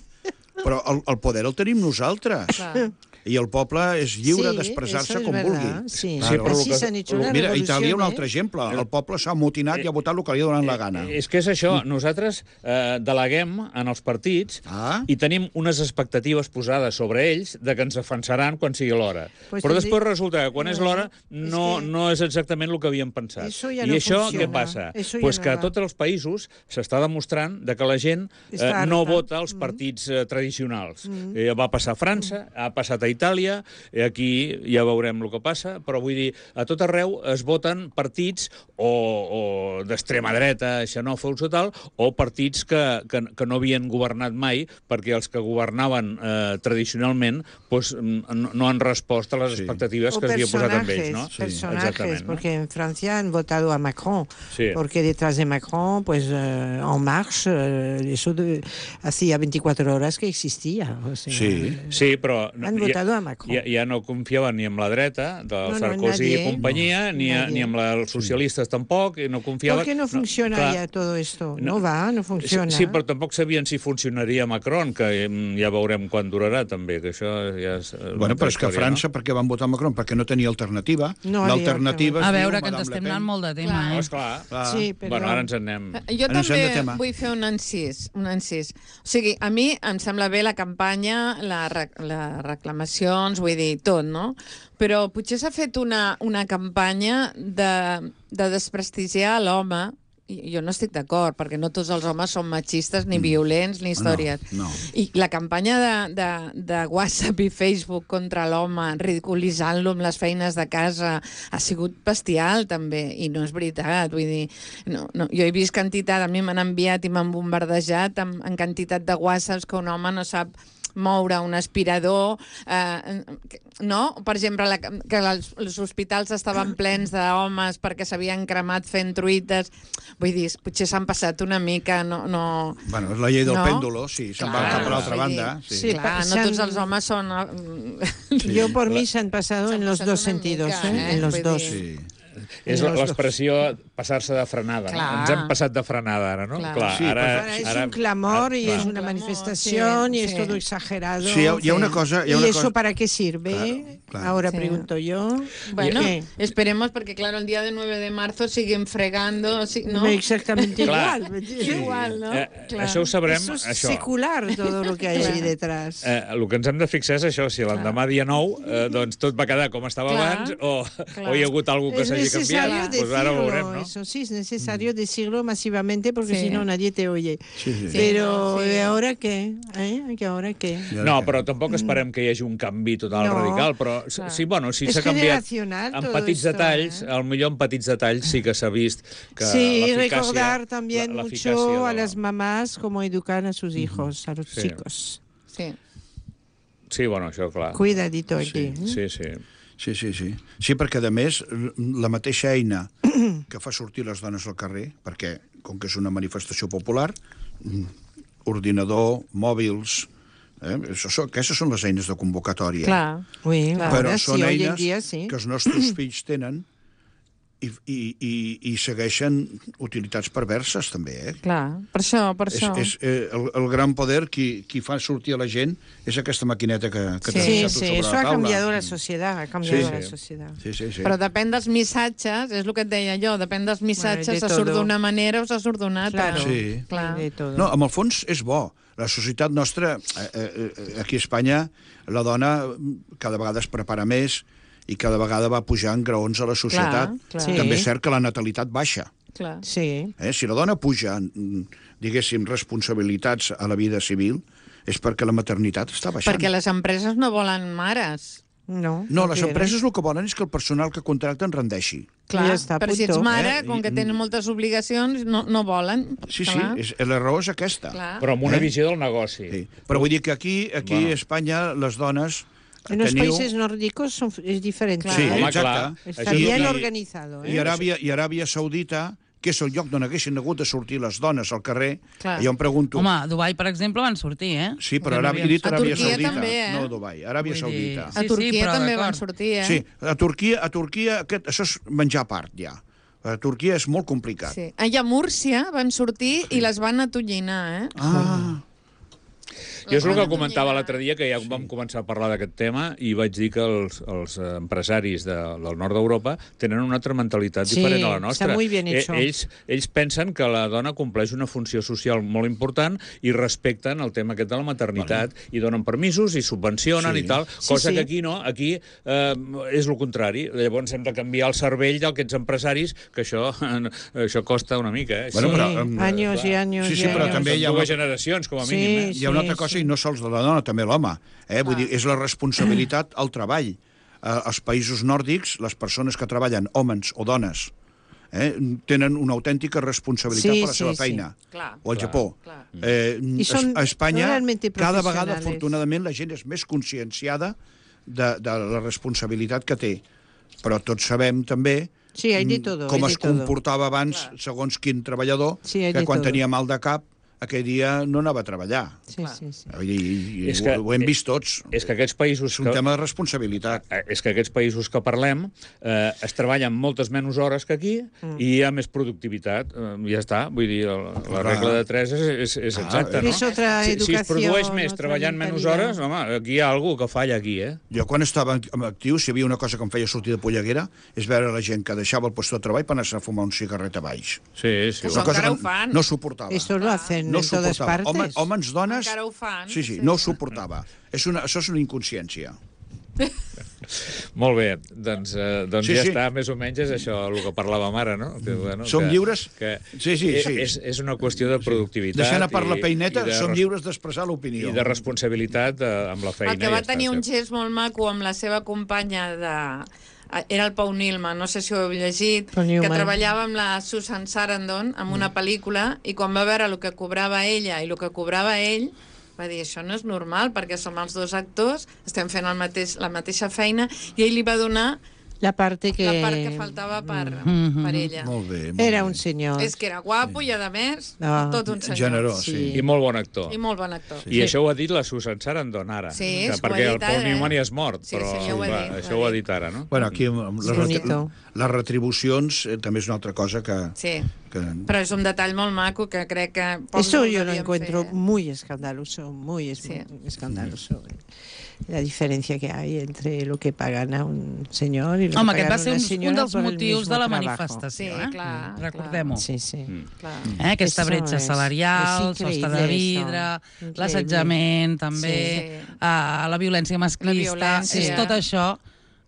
Però el, el poder el tenim nosaltres. Clar. I el poble és lliure Sí, d'expressar-se eso es com verdad, vulgui. Sí, Sí, però así lo que- se han hecho una Mira, a revolución, Itàlia un ¿eh? altre exemple. El poble s'ha amotinat i ha votat el que li ha donat la gana. Eh, És que és això, nosaltres eh, deleguem en els partits Ah. i tenim unes expectatives posades sobre ells de que ens defensaran quan sigui l'hora. Pues Però tendrí- després resulta que quan No, és l'hora és no, que- no és exactament el que havíem pensat. Eso ja I no això funciona. què passa? Eso ja Pues no que a va. tots els països s'està demostrant de que la gent eh, Està no harta. vota els partits eh, tradicionals. Eh, va passar a França, ha passat a Itàlia, eh, aquí ja veurem el que passa, però vull dir, a tot arreu es voten partits o, o d'extrema dreta, xenòfobs o tal, o partits que, que, que no havien governat mai, perquè els que governaven eh, tradicionalment pues, no, no han respost a les Sí. expectatives O que s'havia posat amb ells. personajes, No? personajes, Exactament, no? porque en Francia han votado a Macron, Sí. porque detrás de Macron, pues eh, En Marche, eh, eso de, hacía veinticuatro horas que existía. O sea, Sí. Sí, però no, Han votado a Macron. Ja, ja no confiaven ni en la dreta, del No, no, Sarkozy nadie. i companyia, No, ni, a, nadie. ni amb la, els socialistes tampoc, i no confiaven... ¿Por qué no funciona clar. ya todo esto? No. No, va, no funciona. Sí, però tampoc sabien si funcionaria Macron, que mm, ja veurem quan durarà, també, que això ja és... eh, Bueno, però és que a història, França, per què van votar Macron? Perquè no tenia alternativa. No havia L'alternativa A es diu veure, que ens Madame estem Le Pen. anant molt de tema, Clar. No? eh? Esclar. Clar. Sí, però... Bueno, ara ens en anem... Jo Ara ens hem també de tema. vull fer un encís, un encís. O sigui, a mi em sembla bé la campanya, la, re- les reclamacions, vull dir, tot, no? Però potser s'ha fet una, una campanya de, de desprestigiar l'home. I jo no estic d'acord, perquè no tots els homes són machistes, ni violents, ni històries. No, no. I la campanya de, de, de WhatsApp i Facebook contra l'home, ridiculitzant-lo amb les feines de casa, ha sigut bestial, també, i no és veritat. Vull dir, no, no, jo he vist quantitat, a mi m'han enviat i m'han bombardejat amb, en quantitat de WhatsApps que un home no sap moure un aspirador, eh, no? Per exemple, la, que els, els hospitals estaven plens d'homes perquè s'havien cremat fent truites. Vull dir, potser s'han passat una mica, no... no... Bueno, és la llei del No? pèndulo, sí, se'n va Clar, cap a l'altra vull banda. dir, Sí. Sí. Clar, no s'han- tots els homes són... eh, Yo por mí se han pasado Se han en los pasado dos una sentidos, mica, ¿eh? eh? En los Vull dos. dir- Sí. És Los dos. l'expressió passar-se de frenada. No? Clar. Ens hem passat de frenada, ara, no? Clar. Sí, ara, Ahora es un clamor y clar. es un una clamor, manifestación sí, y es sí. todo exagerado. Sí, hi ha, hi ha una cosa... Hi ha ¿Y una eso cosa... para qué sirve? Claro, claro. Ahora Sí. pregunto yo. Bueno, ¿Qué? esperemos porque, claro, el día del nueve de marzo siguen fregando, sí, ¿no? Exactamente Clar. igual. Igual, ¿no? Eh, Clar. això ho sabrem, Eso es això. secular todo lo que hay Clar. ahí detrás. Eh, el que ens hem de fixar és això, si l'endemà dia nou eh, doncs tot va quedar com estava Clar. abans o, Clar. o hi ha hagut alguna que Es s'hagi canviat, necesario doncs ara ho decirlo, veurem, no? eso sí, es necesario decirlo masivamente porque Sí. si no nadie te oye. Sí, sí. Sí. Pero sí. ¿y ahora qué? ¿Eh? ¿Y ahora qué? I ara No, què? però tampoc esperem que hi hagi un canvi total No. radical, però s- Clar. sí, bueno, sí És s'ha canviat generacional en todo petits esto, detalls, ¿eh? al millor en petits detalls sí que s'ha vist que Sí, l'eficàcia... recordar también la- l'eficàcia mucho a de- las mamás cómo educar a sus hijos, a los Sí. chicos. Sí. Sí, bueno, això, clar. Cuidadito aquí. Sí, sí. Sí, sí, sí. Sí, perquè, a més, la mateixa eina que fa sortir les dones al carrer, perquè, com que és una manifestació popular, mm, ordinador, mòbils... Eh? Això, són- aquestes són les eines de convocatòria. Clar. Oui, Clar. Però ahora són sí, hoy en eines día sí. que els nostres fills tenen i, i, i, i segueixen utilitats perverses, també, eh? Clar, per això, per És, això. és, eh, el, el gran poder, qui, qui fa sortir a la gent, és aquesta maquineta que, que Sí. t'ha Sí, deixat sí, sobre eso la ha taula. cambiado la sociedad, ha cambiado Sí, la sí. sociedad. Sí, sí, sí. Però depèn dels missatges, és el que et deia jo, depèn dels missatges, Bueno, de se surt todo. d'una manera o se surt d'una altra. Claro. Sí. Clar. De todo. No, amb el fons és bo. La societat nostra, eh, eh, aquí a Espanya, la dona cada vegada es prepara més i cada vegada va pujant graons a la societat. Clar, clar. Sí. També és cert que la natalitat baixa. Clar. Sí. Eh? Si la dona puja, mm, diguéssim, responsabilitats a la vida civil, és perquè la maternitat està baixant. Perquè les empreses no volen mares. No, No, les quieren. empreses el que volen és que el personal que contracten rendeixi. Clar, Ja està, però si ets punto. mare, Eh, com que i- tenen moltes obligacions, no, no volen. Sí, sí, Clar. és, la raó és aquesta. Clar. Però amb una Eh? visió del negoci. Sí. Però vull dir que aquí, aquí Bueno. a Espanya, les dones... En los teniu... países nórdicos son, es diferente. Claro. Sí, Home, exacte. clar. Está Això bien i- organizado. I ¿eh? Aràbia, I Aràbia Saudita, que és el lloc d'on haguessin hagut de sortir les dones al carrer, Clar. jo em pregunto... Home, a Dubai, per exemple, van sortir, eh? sí, però Ja no Aràbia, he havien- dit A Aràbia Turquia Saudita, també, eh? no Dubai, Aràbia Vull dir, Saudita. A Sí, sí, Turquia però també d'acord. van sortir, eh? Sí, a Turquia, a Turquia aquest, això és menjar a part, ja. A Turquia és molt complicat. Sí. Allà a Múrcia van sortir i les van atollinar, eh? Ah, Jo és el que Bueno, comentava ja- l'altre dia, que ja vam començar a parlar d'aquest tema, i vaig dir que els, els empresaris de, del nord d'Europa tenen una altra mentalitat Sí, diferent a la nostra. està muy bien hecho. Eh, ells, ells pensen que la dona compleix una funció social molt important i respecten el tema aquest de la maternitat, bueno. i donen permisos i subvencionen Sí. i tal, Sí, cosa sí. que aquí no, aquí eh, és el contrari. Llavors hem de canviar el cervell d'aquests empresaris, que això, això costa una mica. Eh? Bueno, Sí, però, em, años y años sí, y sí, però años. també Són hi ha dues una- generacions, com a Sí, mínim. Eh? hi ha una altra sí, cosa, sí. i no sols de la dona, també l'home. Eh? Vull dir, és la responsabilitat al treball. Eh, als països nòrdics, les persones que treballen, homes o dones, eh, tenen una autèntica responsabilitat Sí, per la sí, seva sí. feina. Clar. O al Clar. Japó. Clar. Eh, I són a Espanya, realmente cada vegada, professionales. afortunadament, la gent és més conscienciada de, de la responsabilitat que té. Però tots sabem també Sí, hay de todo, com hay es de todo. comportava abans, segons quin treballador, Sí, hay que de quan todo. tenia mal de cap, aquell dia no anava a treballar. Sí, sí, sí. I, i, És ho, que- ho hem vist tots. És que aquests països... És un que... tema de responsabilitat. Eh, és que aquests països que parlem eh, es treballen moltes menys hores que aquí Mm. i hi ha més productivitat. Eh, ja està, vull dir, la, la Clar. regla de tres és, és, és Ah, exacta, eh. no? És otra si, si es educació, produeix més otra treballant menys mentalitat. hores, home, aquí hi ha alguna que falla aquí, eh? Jo, quan estava en actiu, si hi havia una cosa que em feia sortir de polleguera, és veure la gent que deixava el lloc de treball per anar-se a fumar un cigarret a baix. Sí, sí. Que Una són- cosa encara que ho fan. no suportava. Esto lo hacen no en todas suportava. partes. Home, homes, dones... Encara ho fan, Sí, sí, sí. no ho suportava. És una, això és una inconsciència. Molt bé, doncs, eh, doncs Sí, ja sí. està, més o menys és això el que parlàvem ara, no? Que, bueno, Som que, lliures? Que Sí, sí, sí. És, és una qüestió de productivitat. Deixant a part la i- peineta, i de som res- lliures d'expressar l'opinió. I de responsabilitat eh, amb la feina. El que va ja està, tenir un sí. gest molt maco amb la seva companya de... Era el Pau Nilman, no sé si ho heu llegit, Paul que Newman. treballava amb la Susan Sarandon en una pel·lícula i quan va veure el que cobrava ella i el que cobrava ell, va dir, això no és normal, perquè som els dos actors, estem fent el mateix, la mateixa feina, i ell li va donar La parte que... la part que faltava per, Mhm. per ella. Molt bé. Molt Era bé. un señor. És que era guapo i, a més, No. tot un senyor. Generós, sí. Sí. I molt bon actor. I molt bon actor. I això ho ha dit la Susan Sarandon ara. Sí, que, és que ho ha perquè el dit Paul ara, Newman eh? ja és mort, Sí, però sí, ja ho ha va, dit, ho això ha ho ha dit. dit ara, no? Bueno, aquí amb les, És bonito. les retribucions eh, també és una altra cosa que... Sí. que... Però és un detall molt maco que crec que... pocs Eso ho yo lo devien encuentro fer, eh? muy escandaloso, muy es- Sí. escandaloso. La diferencia que hay entre lo que pagan a un señor y lo Home, que aquest pagan va ser a un, una un señora dels por el motius mismo de la trabajo. manifestació. Sí, eh? clar, Recordem-ho. Sí, sí. Clar. Eh, aquesta Eso bretxa és- salarial, és sostre de increïble, vidre, això. Increïble. l'assetjament, també, Sí. uh, la violència masclista, La violència. és tot això,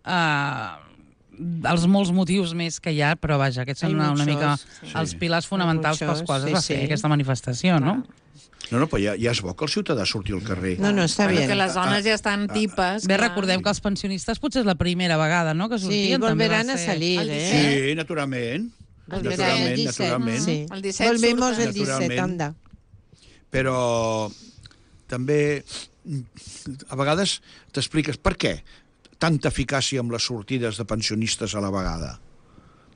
uh, els molts motius més que hi ha, però vaja, aquests són Hay una, una mica muchos, sí. els pilars fonamentals pels muchos, quals es sí, va fer sí. aquesta manifestació, no? No, no, però ja, ja és bo que el ciutadà surti al carrer. No, no, està Bueno, bien. que les dones ja estan tipes. Bé, clar. recordem que els pensionistes potser és la primera vegada, no?, que Sí, sortien. també va volverán a ser- salir, El ¿eh? Sí, naturalment. Volverán Naturalment, el disset. naturalment. Sí. El disset Volvemos surten. el disset, Naturalment. anda. Però també mm, a vegades t'expliques per què tanta eficàcia amb les sortides de pensionistes a la vegada.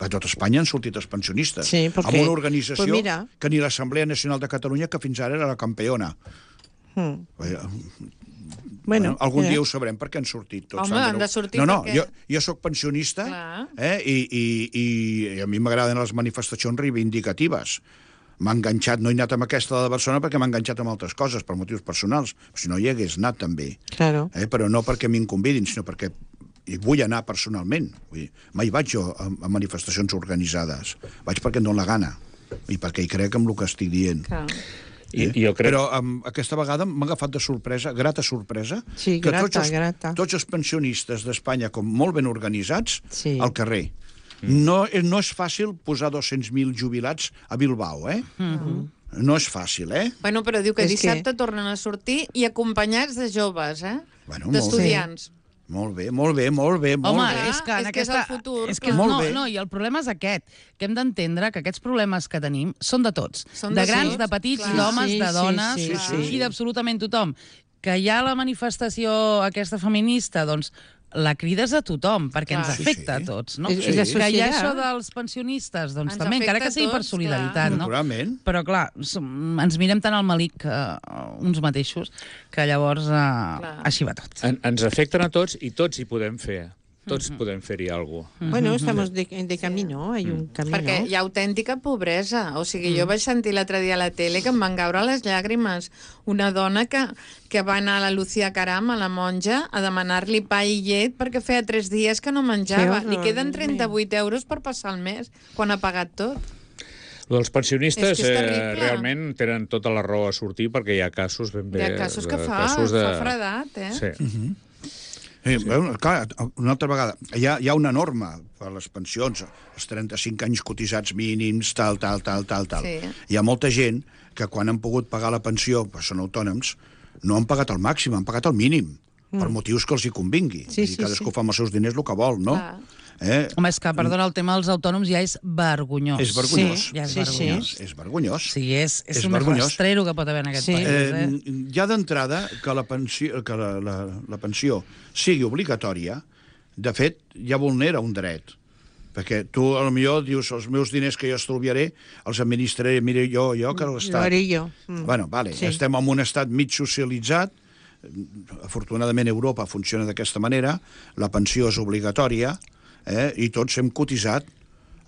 A tot Espanya han sortit els pensionistes. Sí, amb perquè- una organització pues mira. que ni l'Assemblea Nacional de Catalunya, que fins ara era la campeona. Hmm. Eh, Bueno, algun eh. dia ho sabrem perquè han sortit tots. Home, han de sortir No, no, perquè- jo, jo sóc pensionista Clar. eh, i, i, i a mi m'agraden les manifestacions reivindicatives. M'ha enganxat, no he anat amb aquesta de Barcelona perquè m'ha enganxat amb altres coses, per motius personals. Si no hi hagués anat, també. Claro. Eh, però no perquè m'hi convidin, sinó perquè hi vull anar personalment. Vull dir, mai vaig jo a, a manifestacions organitzades. Vaig perquè em dóna la gana i perquè hi crec en el que estic dient. Clar. I, i jo crec... Però um, aquesta vegada m'ha agafat de sorpresa, grata sorpresa, Sí, que grata, tots, els, grata. tots els pensionistes d'Espanya, com molt ben organitzats, Sí. al carrer. Mm. No, no és fàcil posar dos-cents mil jubilats a Bilbao, eh? Mm-hmm. No és fàcil, eh? Bueno, però diu que És dissabte que- tornen a sortir i acompanyats de joves, eh? Bueno, molt D'estudiants. Molt bé, molt bé, molt bé, molt Home, bé. és que en És que és el aquesta... futur, és que clar. Molt no, bé. no, i el problema és aquest, que hem d'entendre que aquests problemes que tenim són de tots. Són de de grans, tots, de petits, clar. d'homes, Sí, de sí, dones, sí, sí. i d'absolutament tothom. Que hi ha la manifestació aquesta feminista, doncs la crides a tothom, perquè Clar. ens Sí, afecta sí. a tots, no? És- és la Que hi ha societat. això dels pensionistes, doncs Ens també, encara que afecta a sigui per tots, solidaritat, no? Naturalment. Però, clar, som, ens mirem tant al malic uh, uns mateixos que llavors uh, així va tot. En, ens afecten a tots i tots hi podem fer. Tots mm -hmm. podem fer-hi alguna cosa. Bueno, estamos de, de camino, hay un camino. Perquè hi ha autèntica pobresa. O sigui, jo vaig sentir l'altre dia a la tele que em van caure les llàgrimes. Una dona que, que va anar a la Lucía Caram, a la monja, a demanar-li pa i llet perquè feia tres dies que no menjava. Que Li horror, queden Déu trenta-vuit euros per passar el mes, quan ha pagat tot. Els pensionistes És que és eh, terrible. realment tenen tota la raó a sortir perquè hi ha casos ben bé... Hi ha casos que de- fa, casos de... fa fredat, eh? Sí. Sí, sí. Bueno, clar, una altra vegada, hi ha, hi ha una norma per les pensions, els trenta-cinc anys cotitzats mínims, tal, tal, tal, tal, tal. Sí. Hi ha molta gent que quan han pogut pagar la pensió, però són autònoms, no han pagat el màxim, han pagat el mínim, mm. per motius que els hi convingui. Sí, Vull dir, sí, cadascú sí. fa amb els seus diners el que vol, no? Clar. Eh? Home, és que, perdona, el tema dels autònoms ja és vergonyós. És vergonyós. Sí, Ja és sí, vergonyós. sí. És vergonyós. O sigui, és, és, És un vergonyós. rastrero que pot haver en aquest Sí. país. Eh, Eh? ja d'entrada, que, la pensió, que la, la, la pensió sigui obligatòria, de fet, ja vulnera un dret. Perquè tu, a lo millor, dius, els meus diners que jo estalviaré els administraré, mire, jo, jo, que Lo l'Estat. haré jo. Mm. Bueno, vale, Sí. estem en un estat mig socialitzat, afortunadament Europa funciona d'aquesta manera, la pensió és obligatòria, eh, i tots hem cotitzat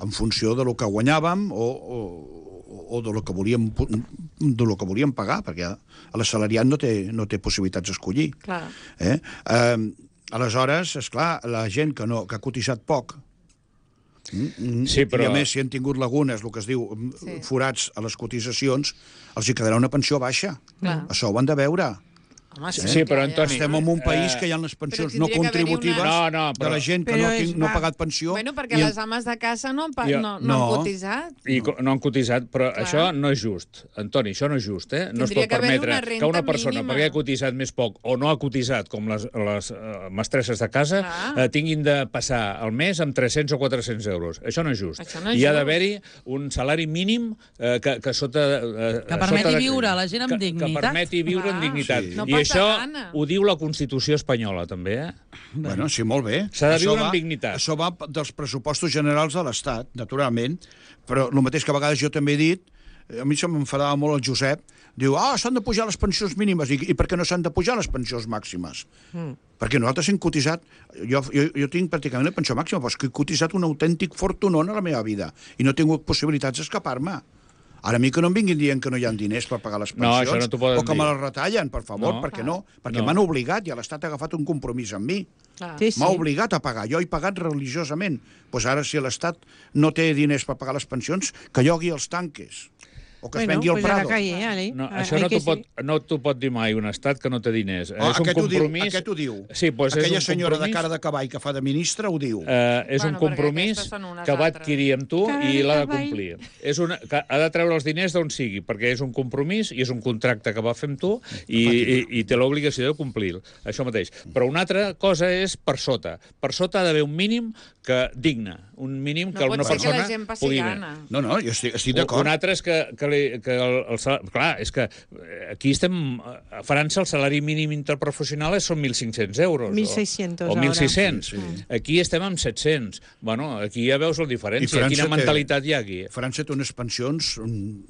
en funció de lo que guanyàvem o, o, o de lo que volíem de lo que volíem pagar, perquè l'assalariat no té, no té possibilitats d'escollir. Clar. Eh? Eh, aleshores, és clar, la gent que, no, que ha cotitzat poc, mm, Sí, però- i a més si han tingut lagunes, el que es diu, Sí. forats a les cotitzacions, els hi quedarà una pensió baixa. Clar. Això ho han de veure. Home, Sí, sí, però, clar, Antoni, Estem en un país Eh, que hi ha les pensions però no tindria que haver-hi contributives una- No, no, de però- la gent que Però no, és tinc, no ha va. pagat pensió. Bueno, perquè i- les ames de casa no, han pa- Jo- no, no, No. han cotitzat. I co- no han cotitzat, però Clar. això no és just. Antoni, això no és just, eh? No es Tindria pot que haver-hi permetre una que renta una persona, mínima. perquè ha cotitzat més poc o no ha cotitzat, com les, les uh, mestresses de casa, Clar. eh, tinguin de passar el mes amb tres-cents o quatre-cents euros. Això no és just. Això no és I ha just. d'haver-hi un salari mínim eh, que, que sota... Eh, Que permeti sota de- viure la gent amb que, dignitat. Que permeti viure Clar. amb dignitat. Sí. No I passa això gana. ho diu la Constitució espanyola, també, eh? Bueno, sí, molt bé. S'ha de Això viure va- amb dignitat. Això va dels pressupostos generals de l'Estat, naturalment, però el mateix que a vegades jo també he dit, eh, a mi se m'enfadava molt el Josep, diu, ah, s'han de pujar les pensions mínimes, i, i per què no s'han de pujar les pensions màximes? Mm. Perquè nosaltres hem cotitzat, jo, jo, jo tinc pràcticament la pensió màxima, però és que he cotitzat un autèntic fortunón a la meva vida, i no he tingut possibilitats d'escapar-me. Ara a mi que no em vinguin dient que no hi ha diners per pagar les No, pensions, això no t'ho poden o que dir. me les retallen, per favor, No. perquè no, perquè No. m'han obligat i l'Estat ha agafat un compromís amb mi. Clar. Sí, sí. M'ha obligat a pagar. Jo he pagat religiosament. Pues ara, si l'Estat no té diners per pagar les pensions, que llogui els tanques. O que es Bueno, vengui el pues a la Prado. calle, ale. No, Ah, això hay no que t'ho pot, ser- no t'ho pot dir mai un estat que no té diners. Oh, és un aquest, ho diu, compromís... aquest ho diu. Sí, doncs Aquella és un senyora de compromís- cara de cavall que fa de ministra ho diu. Eh, és Bueno, un perquè compromís aquestes són unes que va altres. adquirir amb tu Cara i de l'ha de cavall. complir. És una, que ha de treure els diners d'on sigui, perquè és un compromís i és un contracte que va fer amb tu i, i, i té l'obligació de complir. Això mateix. Però una altra cosa és per sota. Per sota ha d'haver un mínim que digne, un mínim No que pot una ser que persona la gent passi pugui... gana. No, no, jo estic, estic Un d'acord. altre és que, que li, que el, el salari... Clar, és que aquí estem... A França el salari mínim interprofessional són mil cinc-cents euros. mil seiscients o, o mil sis-cents. Sí, sí. Aquí estem amb set-cents. Bueno, aquí ja veus la diferència. Quina mentalitat hi ha aquí? França té unes pensions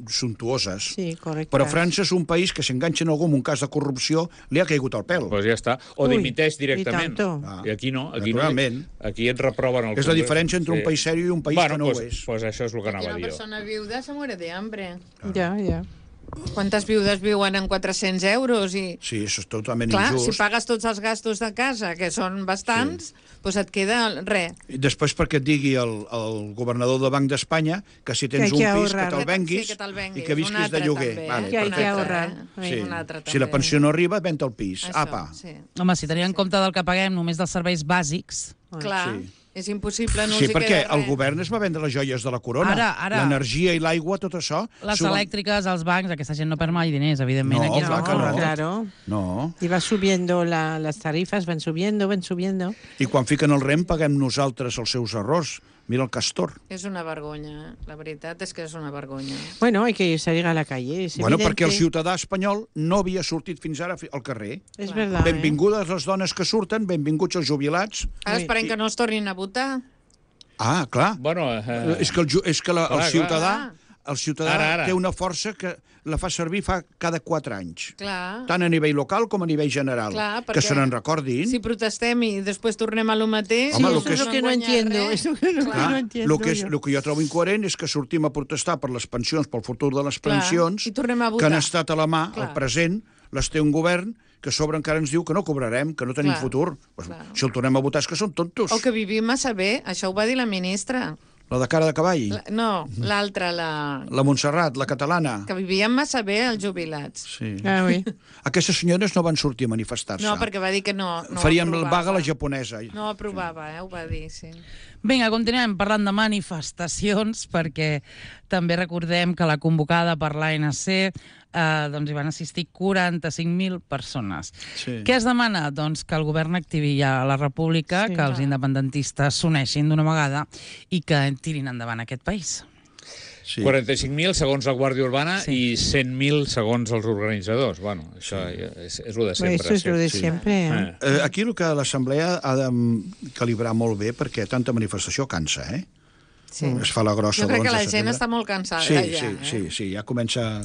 suntuoses. Sí, correcte. Però França és un país que s'enganxa en algú amb un cas de corrupció li ha caigut al pèl. Doncs pues ja està. O dimiteix directament. I, ah, I aquí no. Aquí, naturalment. No, aquí et reproven el És la diferència entre sí. un país sèrio i un país bueno, que no pues, ho és. Pues això és el que anava a dir. Una persona viuda se muere de hambre. Ja, ja. Quantes viudes viuen en quatre-cents euros? I... Sí, això és totalment Clar, injust. si pagues tots els gastos de casa, que són bastants, sí. doncs et queda res. I després perquè et digui el, el governador del Banc d'Espanya que si tens que un pis ahorrar. que te'l venguis, sí, que i que visquis de lloguer. També, vale, que hay que ahorrar. Sí. Si la pensió no arriba, ven el pis. Això, Apa. Sí. Home, si tenim en compte del que paguem només dels serveis bàsics... Clar, sí. és impossible, no sí, els hi perquè queda res. el govern es va vendre les joies de la corona. Ara, ara. L'energia i l'aigua, tot això... Les suben... elèctriques, els bancs, aquesta gent no perd mai diners, evidentment. No, aquí clar que no. Claro. No. Y va subiendo la, las tarifas, van subiendo, van subiendo. I quan fiquen el rem, paguem nosaltres els seus errors. Mira el Castor. És una vergonya, eh? La veritat és que és una vergonya. Bueno, hay que salir a la calle, es Bueno, evidente. perquè el ciutadà espanyol no havia sortit fins ara al carrer. És Clar. verdad, Benvingudes les dones que surten, benvinguts els jubilats. Ara esperem que no els tornin a votar. Ah, clar. Bueno, eh... És que el, ju- és que la, el Clar, ciutadà, clar. el ciutadà Ara, ara. té una força que la fa servir fa cada quatre anys. Clar. Tant a nivell local com a nivell general. Clar, que perquè se n'en recordin. Si protestem i després tornem a lo mateix... Home, no lo que es és- lo que no guanyar entiendo. res. Es lo que no, Clar, no entiendo el que, és, yo. el que jo trobo incoherent és que sortim a protestar per les pensions, pel futur de les Clar, pensions, i tornem a que han votar. estat a la mà, Clar. al present, les té un govern que a sobre encara ens diu que no cobrarem, que no tenim Clar, futur. Pues, clar. si el tornem a votar és que són tontos. O que vivim massa bé, això ho va dir la ministra. La de cara de cavall, La, no, l'altra, la... la Montserrat, la catalana. que vivien massa bé els jubilats. Sí. Ah, oui. Aquestes senyores no van sortir a manifestar-se. No, perquè va dir que no, no Faríem ho la aprovava. vaga a la japonesa. No ho aprovava, eh? Ho va dir, sí. Vinga, continuem parlant de manifestacions, perquè també recordem que la convocada per l'A N C eh, doncs hi van assistir quaranta-cinc mil persones. Sí. Què es demana? Doncs que el govern activi ja la república, Sí, que els clar. independentistes s'uneixin d'una vegada i que tirin endavant aquest país. Sí. quaranta-cinc mil segons la Guàrdia Urbana Sí. i cent mil segons els organitzadors. Bueno, això és, és el de sempre. Eso es lo de sí. siempre. ¿eh? Eh. Eh, aquí el que l'Assemblea ha de mm, calibrar molt bé, perquè tanta manifestació cansa, eh? sí. Es fa la grossa Jo crec que l'onze la de gent setembre. està molt cansada Sí, ja. sí, eh? sí, sí, ja comença...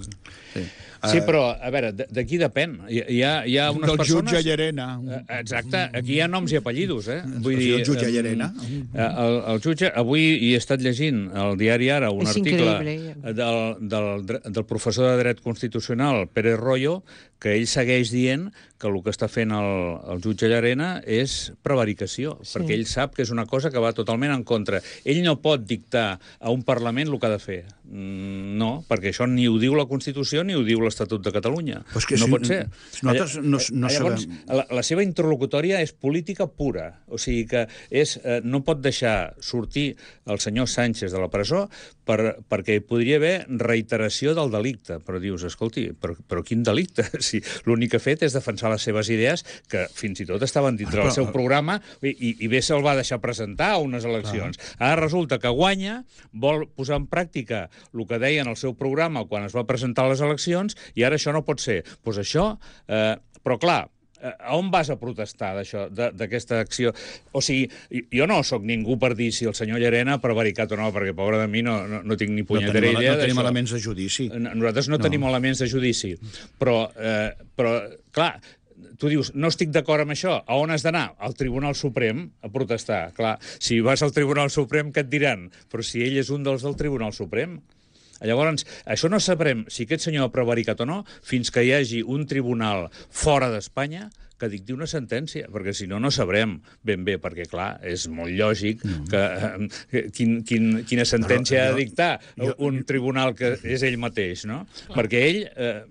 Sí, Sí, Eh, però, a veure, de- d'aquí depèn. Hi, hi, ha, hi ha unes del persones... jutge Llarena. Eh, Exacte, aquí hi ha noms i apellidos, eh? El jutge em, Llarena. eh, El, el jutge, avui hi he estat llegint al diari Ara un És article increïble. del, del, dre- del professor de dret constitucional, Pérez Royo, que ell segueix dient que el que està fent el, el jutge Llarena és prevaricació, Sí. perquè ell sap que és una cosa que va totalment en contra. Ell no pot dictar a un Parlament el que ha de fer. Mm, no, perquè això ni ho diu la Constitució ni ho diu l'Estatut de Catalunya. Però és que no si- pot ser. nosaltres no- no Llavors, sabem. la, la seva interlocutòria és política pura. O sigui que és, eh, no pot deixar sortir el senyor Sánchez de la presó per, perquè hi podria haver reiteració del delicte. Però dius, escolti, però, però quin delicte? Si l'únic que ha fet és defensar les seves idees, que fins i tot estaven dintre Ah, del però- seu programa, i, i, i bé se'l va deixar presentar a unes eleccions. Ara resulta que guanya, vol posar en pràctica el que deia en el seu programa quan es va presentar a les eleccions, i ara això no pot ser. Doncs pues això... Eh, però clar, eh, a on vas a protestar d'això, de- d'aquesta acció? O sigui, jo no sóc ningú per dir si el senyor Llarena ha prevaricat o no, perquè, pobre de mi, no, no, no tinc ni No punyetera tenim, idea no tenim d'això. elements de judici. No- Nosaltres no, No. no tenim elements de judici, però, eh, però clar, tu dius, no estic d'acord amb això, a on has d'anar? Al Tribunal Suprem a protestar. Clar, si vas al Tribunal Suprem, què et diran? Però si ell és un dels del Tribunal Suprem. Llavors, això no sabrem si aquest senyor ha prevaricat o no fins que hi hagi un tribunal fora d'Espanya que dicti una sentència, perquè si no, no sabrem ben bé, perquè, clar, és molt lògic que, eh, quin, quin, quina sentència Però ha jo- de dictar jo- un tribunal que és ell mateix, no? Perquè ell... Eh,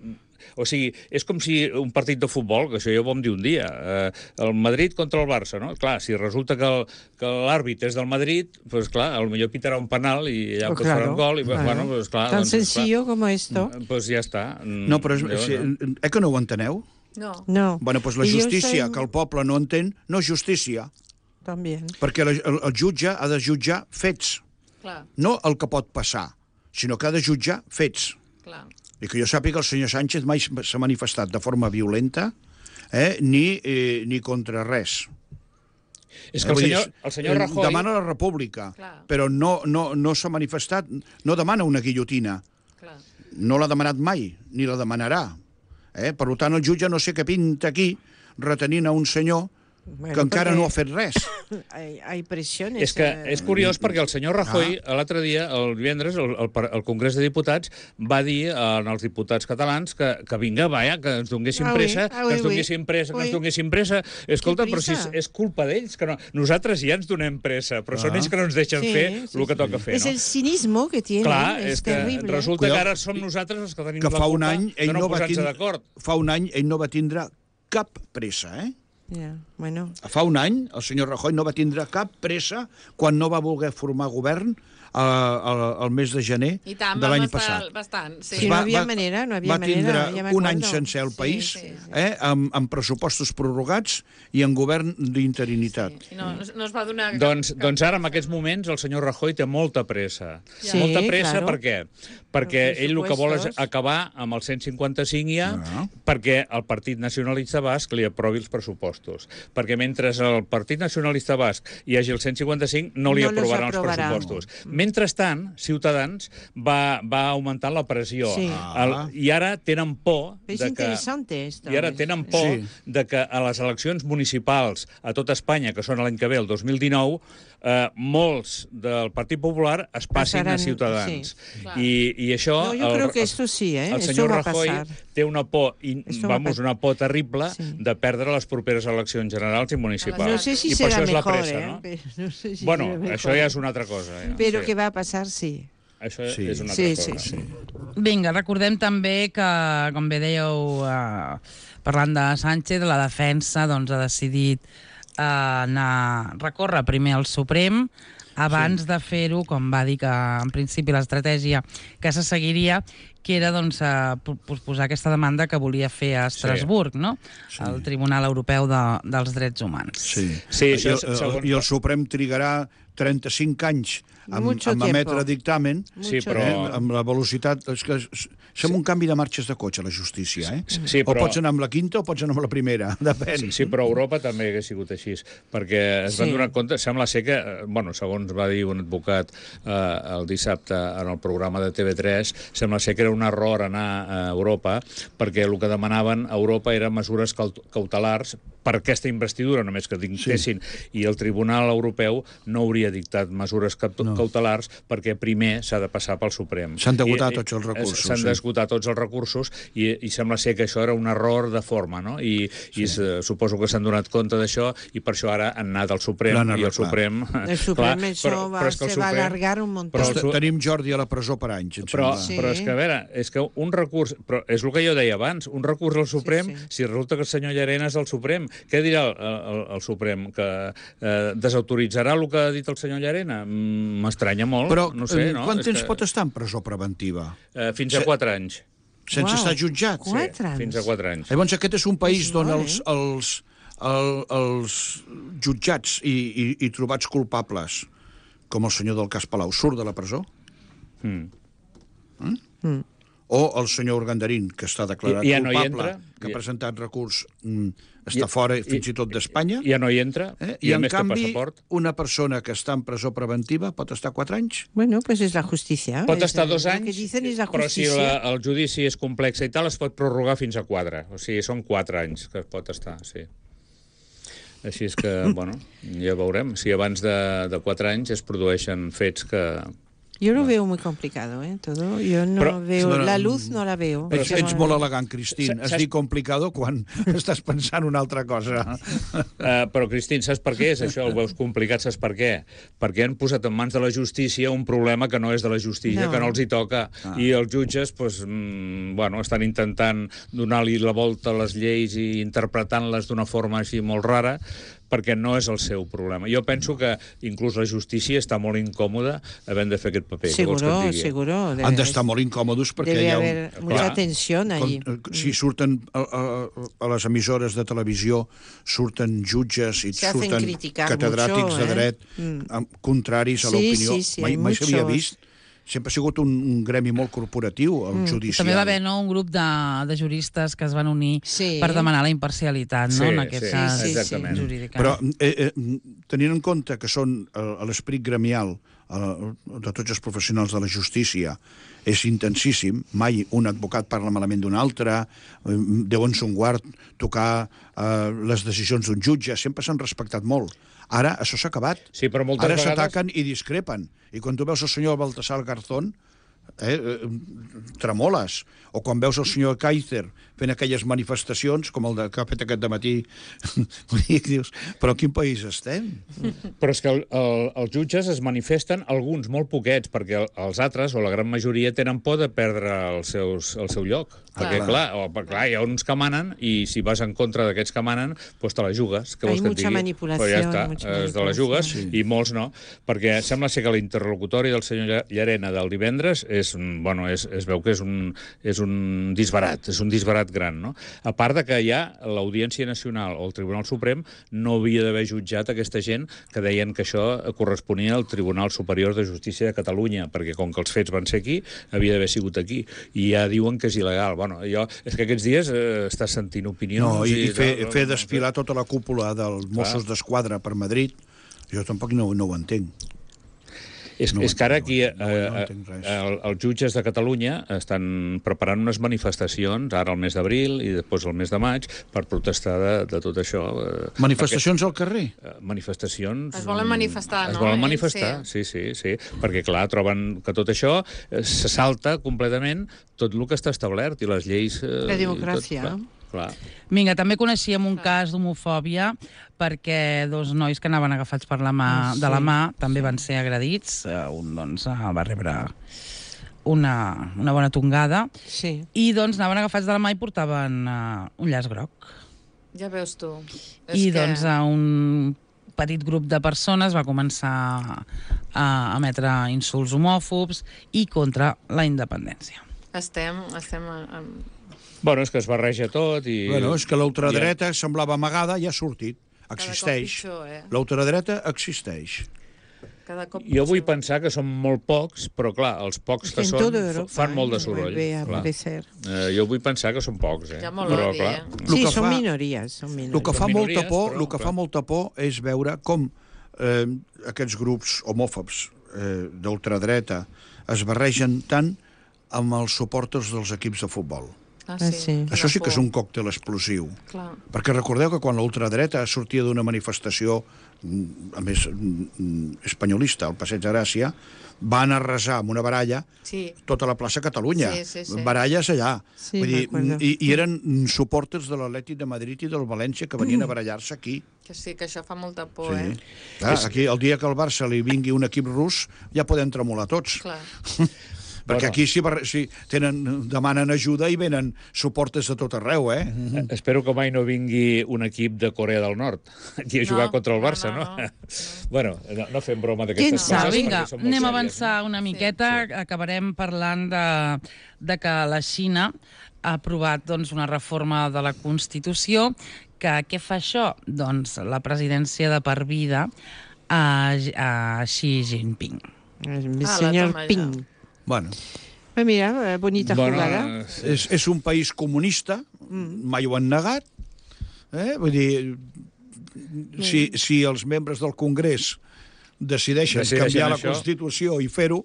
o sigui, és com si un partit de futbol, que això ja ho vam dir un dia, eh, el Madrid contra el Barça, no? Clar, si resulta que el- que l'àrbit és del Madrid, doncs clar, potser pitarà un penal i allà Pues pues, farà claro, un gol, i claro. bueno, pues, clar... Tan doncs, clar, sencillo como esto. Doncs ja està. No, però és, Llavors, si, no. eh que no ho enteneu? No. No. Bueno, doncs la Y yo justícia soy- que el poble no entén no és justícia, También. perquè la, el, el jutge ha de jutjar fets, Clar. no el que pot passar, sinó que ha de jutjar fets. Clar. I que jo sàpiga, el senyor Sánchez mai s'ha manifestat de forma violenta, eh, ni, eh, ni contra res. És que el senyor, el senyor Rajoy... Demana la república, Clar. però no, no, no s'ha manifestat, no demana una guillotina. Clar. No l'ha demanat mai, ni la demanarà. Eh? Per tant, el jutge no sé què pinta aquí, retenint a un senyor Bueno, que encara perquè no ha fet res. Hay, hay presiones. És que eh, és curiós perquè el senyor Rajoy, Ah. l'altre dia, el divendres, el, el, el Congrés de Diputats va dir als diputats catalans que, que vinga, vaja, que ens donguessin Ah, oui, pressa, ah, que oui, ens donguessin pressa, que oui. ens donguessin pressa. Escolta, però si és, prisa? és culpa d'ells, que no... Nosaltres ja ens donem pressa, però Ah. són ells que no ens deixen Sí, fer sí, el que sí. toca fer, Es no? el cinismo que tiene. Clar, es és que terrible. resulta Cuidado, que ara som nosaltres els que tenim Que la fa culpa un any de ell no no va posar-nos tindre, d'acord. fa un any ell no va tindre cap pressa, eh? Ya, bueno. Fa un any el senyor Rajoy no va tindre cap pressa quan no va voler formar govern eh, el, el mes de gener I tant, de l'any vam estar passat. bastant, sí. Sí, no havia manera, no havia va tindre manera, ja un any m'acordo. sencer al Sí, país, sí, sí. eh, amb, amb pressupostos prorrogats i en govern d'interinitat. I no, no es va donar... cap- Doncs, cap- doncs ara, en aquests moments, el senyor Rajoy té molta pressa. Sí, molta pressa claro. per què? Perquè Els ell el que vol és pressupostos. acabar amb el cent cinquanta cinc ja, Ah. perquè el Partit Nacionalista Basc li aprovi els pressupostos. Perquè mentre el Partit Nacionalista Basc hi hagi el cent cinquanta cinc, no li No los aprovaran els aprovarà. pressupostos. Mentrestant, Ciutadans va, va augmentant la pressió. Sí. El, I ara tenen por Es de que... interesante esto. I ara tenen por Sí. de que a les eleccions municipals a tot Espanya, que són l'any que ve, el dos mil dinou, eh, molts del Partit Popular es passin Passaran, a Ciutadans. sí. I, I això... No, yo creo que esto sí, ¿eh? El Esto senyor va a Rajoy pasar. té una por, i, Esto va a vamos, pasar. una por terrible Sí. de perdre les properes eleccions generals i municipals. No sé si I per será això és la mejor, pressa, ¿eh? no? Pero no sé si Bueno, será mejor. això ja és una altra cosa. Ja. Pero sí. que va a pasar, sí. Això Sí. és una altra Sí, cosa. sí, sí. Vinga, recordem també que, com bé dèieu, eh, parlant de Sánchez, la defensa doncs, ha decidit eh, anar recórrer primer al Suprem abans sí. de fer-ho, com va dir que en principi l'estratègia que se seguiria, que era doncs, eh, posposar aquesta demanda que volia fer a Estrasburg, no? Sí. El Tribunal Europeu de, dels Drets Humans. Sí, Sí, I, això el, és segons- i el Suprem trigarà trenta-cinc anys amb, Mucho amb emetre tiempo. dictamen, Sí, Mucho però- eh, amb la velocitat... És que s- sembla un canvi de marxes de cotxe, la justícia, eh? Sí, O però- pots anar amb la quinta o pots anar amb la primera, depèn. Sí, sí, però a Europa també hagués sigut així, perquè es van Sí. donar compte, sembla ser que, eh, bueno, segons va dir un advocat eh, el dissabte en el programa de T V tres, sembla ser que era un error anar a Europa, perquè el que demanaven a Europa eren mesures caut- cautelars per aquesta investidura, només que dictessin, sí. i el Tribunal Europeu no hauria dictat mesures caut No. cautelars perquè primer s'ha de passar pel Suprem. S'han d'esgotar I- tots els i- recursos, S'han sí. d'esgotar tots els recursos i, i sembla ser que això era un error de forma, no? I, sí. i se, suposo que s'han donat compte d'això i per això ara han anat al Suprem L'han i el arreglat. Suprem... El Suprem, això va, és que el se va Suprem- alargar un montón. Però el Te- su- Tenim Jordi a la presó per anys, em Però, sembla. Sí. però és que, a veure, és que un recurs... Però és el que jo deia abans, un recurs al Suprem, Sí, sí. si resulta que el senyor Llarena és el Suprem, què dirà el, el, el Suprem? Que eh, desautoritzarà el que ha dit el senyor Llarena? Mm, M'estranya molt, Però no sé, eh, no? quant És temps que, pot estar en presó preventiva? Eh, fins a Se- quatre anys. Sense Uau, estar jutjat? Quatre anys. Fins a quatre anys. Llavors aquest és un país És on molt, els, eh? els, el, els jutjats i, i, i trobats culpables, com el senyor del cas Palau, surt de la presó? Mm. Mm. O el senyor Urgandarín, que està declarat I- ja no hi culpable, entra? que ha I- presentat recurs, mm, està I- fora i- fins i tot d'Espanya, Ja no hi entra, eh? i, i a en més té canvi passaport. una persona que està en presó preventiva pot estar quatre anys? Bueno, pues es la justicia. Pot Es- estar dos lo anys, que dicen es la però si justicia. la, el judici és complex i tal, es pot prorrogar fins a quatre. O sigui, són quatre anys que es pot estar, sí. Així és que, bueno, ja veurem. Si abans de, de quatre anys es produeixen fets que... Yo lo veo muy complicado, ¿eh? Todo. Yo no Però- veo... Però- La luz no la veo. Ets, Yo ets no- molt elegant, Cristín. Sa- Has saps- dit complicado quan estàs pensant una altra cosa. Uh, però, Cristín, saps per què és això? El veus complicat, saps per què? Perquè han posat en mans de la justícia un problema que no és de la justícia, No. que no els hi toca. Ah. I els jutges, pues, mm, bueno, estan intentant donar-li la volta a les lleis i interpretant-les d'una forma així molt rara, perquè no és el seu problema. Jo penso que inclús la justícia està molt incòmoda havent de fer aquest paper. Què vols que et Seguro, digui? seguro. Debe- Han d'estar molt incòmodos perquè Debe hi ha un... haver Clar. mucha tensión allí. Com, eh, si surten a, a, a les emissores de televisió, surten jutges i Se hacen surten criticar catedràtics mucho, de eh? dret Mm. amb contraris a Sí, l'opinió. sí, sí, mai hay mai s'havia muchos. vist sempre ha sigut un, un gremi molt corporatiu, el mm. judicial. També va haver, no, un grup de, de juristes que es van unir sí. per demanar la imparcialitat, no, sí, en aquest sí, cas sí, exactament. jurídic. Però eh, eh, tenint en compte que són eh, l'esperit gremial eh, de tots els professionals de la justícia és intensíssim, mai un advocat parla malament d'un altre, eh, deuen ser un guard tocar eh, les decisions d'un jutge, sempre s'han respectat molt. Ara això s'ha acabat. Sí, però moltes Ara vegades... s'ataquen i discrepen. I quan tu veus el senyor Baltasar Garzón, eh, eh, tremoles. O quan veus el senyor Kaiser fent aquelles manifestacions, com el de, que ha fet aquest dematí, dius, però en quin país estem? Però és que el, el, els jutges es manifesten, alguns molt poquets, perquè els altres, o la gran majoria, tenen por de perdre els seus, el seu lloc. Clar. Perquè, clar, o, clar, hi ha uns que manen, i si vas en contra d'aquests que manen, doncs te la jugues. Què vols que et digui? manipulació. Però ja està, es te la jugues, sí. I molts no. Perquè sembla ser que l'interlocutori del senyor Llarena del divendres és, bueno, és, es veu que és un, és un disbarat, és un disbarat gran, no? A part de que ja l'Audiència Nacional o el Tribunal Suprem no havia d'haver jutjat aquesta gent que deien que això corresponia al Tribunal Superior de Justícia de Catalunya, perquè com que els fets van ser aquí, havia d'haver sigut aquí. I ja diuen que és il·legal. Bueno, jo, és que aquests dies eh, estàs sentint opinions... No, i, i fer, no, fer desfilar tota la cúpula dels Mossos d'Esquadra per Madrid, jo tampoc no, no ho entenc. És, No és que ara aquí no, no, eh, no entenc res. el, els jutges de Catalunya estan preparant unes manifestacions, ara al mes d'abril i després al mes de maig, per protestar de, de tot això. Eh, Manifestacions al carrer? perquè, eh, manifestacions... Es volen manifestar, es no? volen Ells, manifestar, sí. sí, sí, sí, perquè, clar, troben que tot això eh, se salta completament tot el que està establert i les lleis... Eh, La democràcia. i tot, clar, clar. Vinga, també coneixíem un cas d'homofòbia perquè dos nois que anaven agafats per la mà, Ah, sí. de la mà també van ser agredits. Uh, un, doncs, uh, va rebre una, una bona tongada Sí. i, doncs, anaven agafats de la mà i portaven uh, un llaç groc. Ja veus tu. És I, que... doncs, uh, un petit grup de persones va començar a emetre insults homòfobs i contra la independència. Estem... estem en... Bueno, és que es barreja tot i... Bueno, és que l'ultradreta semblava amagada i ha sortit. Cada Existeix. cop pitjor, eh? L'ultradreta existeix. Cada cop Jo vull pitjor. pensar que són molt pocs, però clar, els pocs que En són toda Europa, fan molt de eh, soroll. vuelve a clar. aparecer. Eh, jo vull pensar que són pocs, eh? Hi ha molt però, odi, clar, eh? Lo Sí, que són fa- minories, són minories. El que fa Són molta minories, por, però, el que clar. fa molta por és veure com eh, aquests grups homòfobs eh, d'ultradreta es barregen tant amb els suporters dels equips de futbol. Ah, Ah, sí. Això sí que és un còctel explosiu. Clar. Perquè recordeu que quan l'ultradreta sortia d'una manifestació, mm, a més mm, espanyolista, al Passeig de Gràcia, van arrasar amb una baralla Sí. tota la plaça Catalunya. Sí, sí, sí. Baralles allà. Sí, Vull dir, m'acuerdo. i, I eren suporters de l'Atlètic de Madrid i del València que venien a barallar-se aquí. Que sí, que això fa molta por, Sí. eh? Clar, aquí, el dia que al Barça li vingui un equip rus, ja podem tremolar tots. Clar. Perquè Bueno. aquí si, bar- si tenen, demanen ajuda i venen suportes de tot arreu, eh? Eh, Espero que mai no vingui un equip de Corea del Nord aquí a jugar No, contra el no, Barça, no, no? no. Bueno, no, no fem broma Qui d'aquestes sap? coses. Vinga, perquè són molt anem a sèries, avançar una miqueta. Sí. Acabarem parlant de, de que la Xina ha aprovat, doncs, una reforma de la Constitució que què fa això? Doncs la presidència de per vida a, a Xi Jinping. El Ah, la senyor toma ja. Ping. Bueno, Pues mira, eh, bonita Bueno, jugada. sí. és, és un país comunista, mai ho han negat. Eh? Vull dir, si, si els membres del Congrés decideixen, Decideixen canviar la això. Constitució i fer-ho...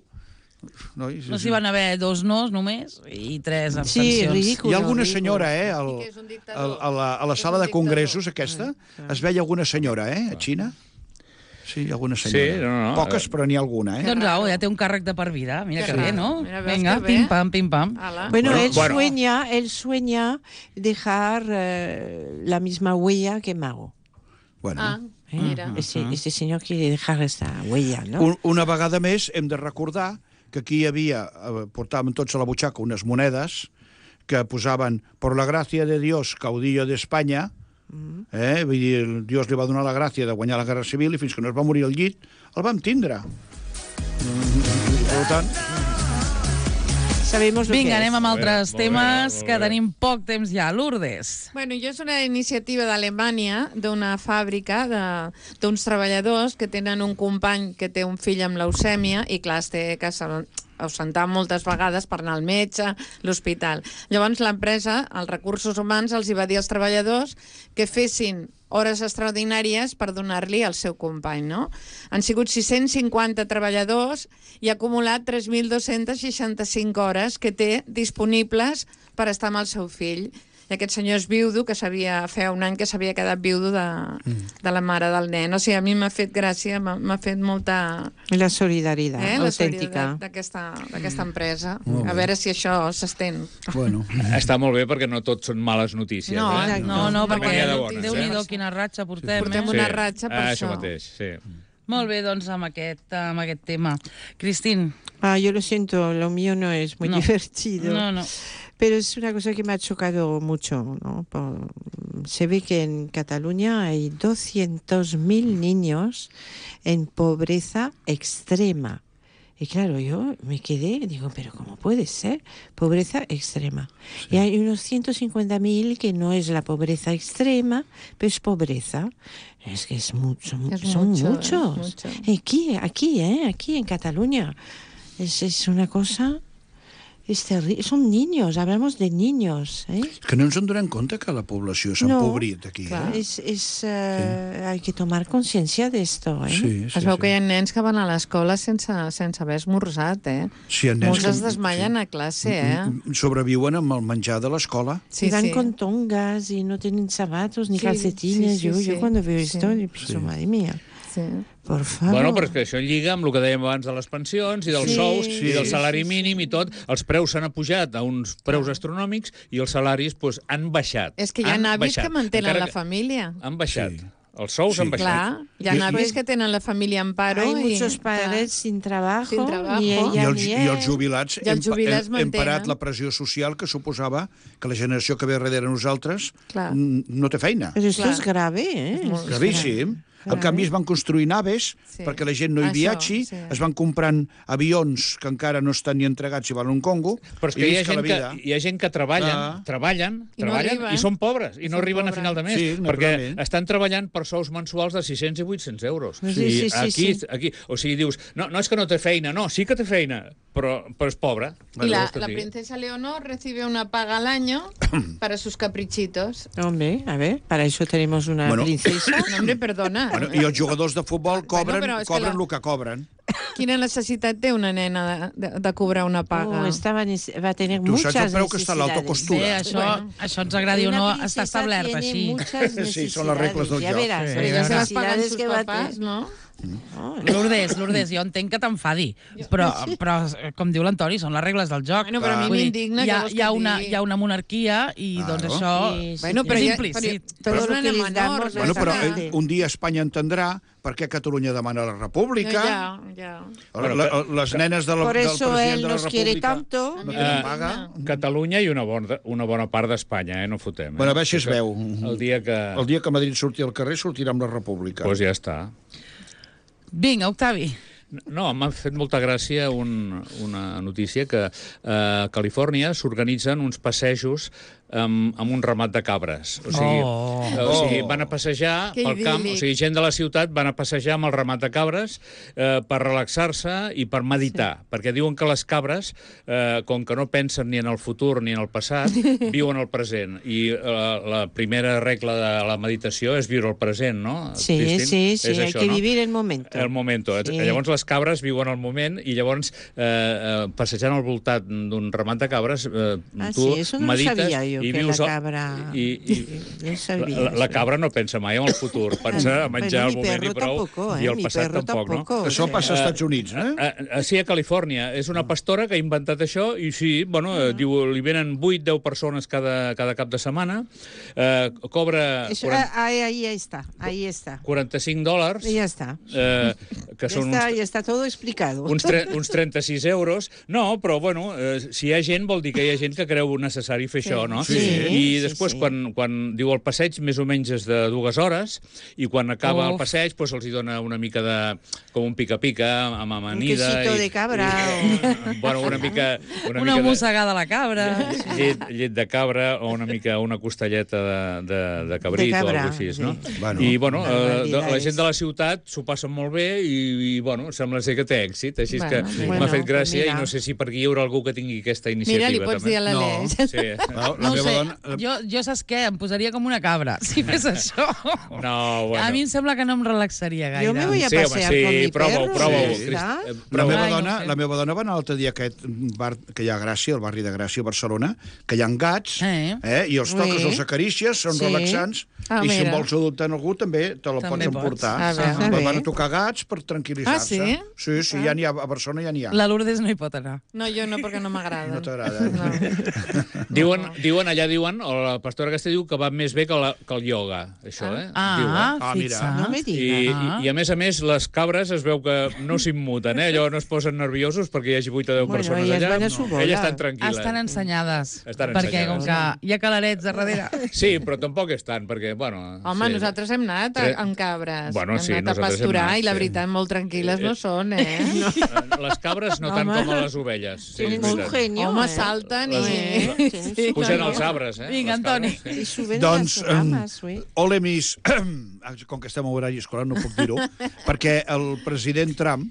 No, i, No s'hi van haver dos nos només i tres Sí, abstencions. ridícul. Hi ha alguna ridícul. senyora, eh, al, I que és un dictador. al, a, la, a la És sala un de dictador. congressos aquesta, es veia alguna senyora, eh, a Xina. Sí, alguna senyora. Sí, no, no. Poques, però n'hi ha alguna, eh? Doncs au, ja té un càrrec de per vida. Mira Que que, raro. bé, no? Mira, veus Vinga, que bé. pim-pam, pim-pam. Ala. Bueno, Bueno, él bueno. sueña, él sueña dejar eh, la misma huella que Mao. Bueno, Ah, ¿eh? mira. Ese, ese señor quiere dejar esta huella, ¿no? un, una vegada més hem de recordar que aquí hi havia, eh, portàvem tots a la butxaca unes monedes que posaven por la gràcia de Dios, caudillo d'Espanya, eh? Vull dir, Dios li va donar la gràcia de guanyar la Guerra Civil i fins que no es va morir al llit el vam tindre. Mm, per tant, Sabemos lo que Vinga, es. anem amb Molt bé, altres molt bé, temes, molt que bé. tenim poc temps ja. Lourdes. Bueno, jo és una iniciativa d'Alemanya, d'una fàbrica, de- d'uns treballadors que tenen un company que té un fill amb leucèmia i, clar, es té que sal- ausentar moltes vegades per anar al metge, l'hospital. Llavors l'empresa, els recursos humans, els hi va dir als treballadors que fessin hores extraordinàries per donar-li al seu company, no? Han sigut sis-cents cinquanta treballadors i ha acumulat tres mil dos-cents seixanta-cinc hores que té disponibles per estar amb el seu fill. I aquest senyor és viudo, que sabia, feia un any que s'havia quedat viudo de, mm. de la mare del nen. O sigui, a mi m'ha fet gràcia, m'ha fet molta... La solidaritat eh, autèntica. La solidaritat d'aquesta empresa. Mm. A veure si això s'estén. Bueno. Està molt bé perquè no tot són males notícies. No, eh? no, no, perquè bones, Déu-n'hi-do eh? quina ratxa portem. Portem eh? una ratxa per ah, això. Això mateix, sí. Molt bé, doncs, amb aquest, amb aquest tema. Cristín. Ah, yo lo siento, lo mío no es muy no. divertido. No, no. Pero es una cosa que me ha chocado mucho, ¿no? Por, se ve que en Cataluña hay doscientos mil niños en pobreza extrema. Y claro, yo me quedé, digo, pero ¿cómo puede ser? Pobreza extrema. Sí. Y hay unos ciento cincuenta mil que no es la pobreza extrema, pero es pobreza. Es que es mucho, es son mucho, muchos. Es mucho. Aquí, aquí, ¿eh? Aquí en Cataluña. Es, es una cosa... Es terrible. Son niños, hablamos de niños. ¿eh? Que no ens en donem compte que la població s'ha no, empobrit aquí. Clar, Eh? es, es, uh, sí. Hay que tomar conciencia de esto. ¿eh? Sí, sí, Es veu sí. que hi ha nens que van a l'escola sense, sense haver esmorzat, eh? Sí, hi ha nens Molts que- es desmaien sí. a classe, eh? Sobreviuen amb el menjar de l'escola. Sí, y van sí. con tongas y no tienen zapatos ni Sí, calcetines. sí, sí, yo, sí. yo cuando veo Sí. esto, yo pienso, Sí. madre mía, Sí. por favor. Bueno, però és que això lliga amb el que dèiem abans de les pensions i dels Sí, sous sí, i del sí, salari sí, mínim i tot. Els preus s'han apujat a uns preus astronòmics i els salaris pues, han baixat. És que hi ha Han avis baixat. que mantenen Encara la família. Han baixat. Sí. Els sous Sí. han baixat. Clar, hi ha I- avis i- que tenen la família en paro. Hay i, muchos padres sin trabajo, Sin trabajo. ni I ella els, ni I els él. jubilats, I els hem, pa- jubilats hem, hem parat mantenen. la pressió social que suposava que la generació que ve darrere nosaltres Clar. n- no té feina. Pero esto Clar. es grave, ¿eh? És molt- Gravíssim. En Carai. canvi, es van construir naves Sí. perquè la gent no hi Això, viatgi, sí. es van comprant avions que encara no estan ni entregats i valen un congo, Però és i que hi ha, visca la gent que, vida. hi ha gent que treballen, Ah. treballen, I no treballen arriben. i són pobres, i no Són arriben pobres. a final de mes, Sí, perquè naturalment. estan treballant per sous mensuals de sis-cents i vuit-cents euros. Sí, sí, I sí, aquí, sí. aquí, o sigui, dius, no, no és que no té feina, no, sí que té feina, però, però és pobre. Y la, Vols que la et digui? princesa Leonor recibe una paga al año para sus caprichitos. Hombre, a ver, para eso tenemos una Bueno. princesa. No, hombre, perdona. Bueno, I els jugadors de futbol cobren, però és que cobren la- el que cobren. Quina necessitat té una nena de, de, de cobrar una paga? Oh, estaba nes- va a tener Tu saps muchas el preu que està l'auto necesidades. costura. Bé, això, Bueno. això ens agradi o Una no, princesa està establert tiene així. muchas Sí, són les regles del necesidades, ya joc. verás, Sí, las Però ja se les paguen necesidades sus que va a papás, tener. no? No, Lourdes, Lourdes, jo entenc que t'enfadi, però, però, com diu l'Antoni, són les regles del joc. Bueno, però a mi Vull dir, m'indigna, hi ha, què vols hi, ha que et una, digui? hi ha una monarquia i Claro. doncs això Sí, sí, Bueno, sí. però, és ja, implícit. però, Todo però és lo una que nena les damos, menor. no Bueno, és però nada. eh, un dia Espanya entendrà per què Catalunya demana la república. Ja, ja. La, la, les nenes de la, Por del eso president él de la nos quiere república tanto. no Eh, tenen paga. Catalunya i una bona, una bona part d'Espanya, eh? No fotem. Eh? Bueno, a veure si es Això, veu. El dia que... El dia que Madrid surti al carrer sortirà amb la república. Doncs pues ja està. Vinga, Octavi. No, m'ha fet molta gràcia un, una notícia que eh, a Califòrnia s'organitzen uns passejos amb, amb un ramat de cabres. O sigui, Oh. eh, o sigui van a passejar Que pel camp, o idíl·lic. sigui, gent de la ciutat van a passejar amb el ramat de cabres eh, per relaxar-se i per meditar, sí. perquè diuen que les cabres, eh, com que no pensen ni en el futur ni en el passat, viuen el present. I eh, la primera regla de la meditació és viure el present, no? Sí, Cristín? sí, sí, És hay això, que no? vivir el momento. El momento. Sí. Llavors les cabres viuen el moment i llavors eh, eh, passejant al voltant d'un ramat de cabres eh, Ah, tu sí, eso no lo medites sabía yo, i que vius... la el- cabra- I, i, Yo sabía la, la eso. cabra no pensa mai en el futur, pensa a menjar Bueno, el mi moment perro i prou, tampoco, eh? i el Mi passat perro tampoc, tampoco. no? Això passa als Estats Units, eh? A, a, sí, a Califòrnia. És una pastora que ha inventat això i sí, bueno, eh, diu, li venen vuit deu persones cada, cada cap de setmana, eh, cobra Eso, quaranta, ahí, ahí está, ahí está. quaranta-cinc dòlars, Y ya está. eh, que Ya són está, uns, ya está todo explicado. uns, tre, uns trenta-sis euros. No, però, bueno, eh, si hi ha gent, vol dir que hi ha gent que creu necessari fer Sí. això, no? Sí, I sí, després, sí. Quan, quan diu el passeig, més o menys és de dues hores, i quan acaba Uf. el passeig, doncs els hi dona una mica de... com un pica-pica, amb amanida... Un quesito de cabra. I, bueno, una mica... Una, Una mica mossegada a la cabra. de, llet, llet de cabra o una mica una costelleta de, de, de cabrit De cabra, o alguna cosa així, no? sí. Bueno, I, bueno, eh, de, la barbaridades. gent de la ciutat s'ho passen molt bé i, i, bueno, sembla ser que té èxit, així Bueno, que sí. m'ha Bueno, fet gràcia mira. i no sé si per aquí hi haurà algú que tingui aquesta iniciativa. Mira, li pots també. dir a l'Aleix. No. Sí. La, la No ho meva sé, dona... jo, jo saps què? Em posaria com una cabra, si fes això. No, bueno. A mi em sembla que no em relaxaria gaire. Yo me voy a Sí, home, pasear sí, con mi prova-ho, perro. prova-ho, ya Crist- está. eh, La prova-ho. meva, Ai, no dona, sé. la meva dona va anar l'altre dia a aquest bar que hi ha a Gràcia, el barri de Gràcia, a Barcelona, que hi ha gats, Eh. eh, i els toques, Sí. els acarícies, són Sí. relaxants, Ah, i si mira. en vols adoptar algú també te la També pots pots. emportar. A veure. Van Bé. van a tocar gats per tranquil·litzar-se. Ah, sí? Sí, sí, ja n'hi ha, a Barcelona ja n'hi ha. La Lourdes no hi pot anar. No, jo no, perquè no m'agrada. No t'agrada. No. Diuen, diuen, allà diuen, o la pastora aquesta diu que va més bé que, la, que el ioga, això, eh? Ah, Diuen. Ah, mira. fixa. No me I, digas. i, I, a més a més, les cabres es veu que no s'immuten, eh? Allò no es posen nerviosos perquè hi hagi vuit o deu Bueno, persones elles allà. van a su bola. Elles estan tranquil·les. Estan ensenyades. Estan perquè com ensenyades. que hi ha calarets a darrere. Sí, però tampoc és tant, perquè, bueno... Home, sí. nosaltres hem anat a, Tre- amb cabres. Bueno, hem sí, anat a nosaltres hem pasturar anat, i la sí. veritat molt tranquil·les no són, eh? No. Eh, Les cabres no tant Home. com a les ovelles. Sí, és Tienen su veritat. genio. Home, eh. salten i... Eh, tienen su Pugen genio. els arbres, eh? Vinga, les cabres. Antoni. Y suben Doncs, las ramas, em, uy. ole mis... Com que estem a horari escolar no puc dir-ho, perquè el president Trump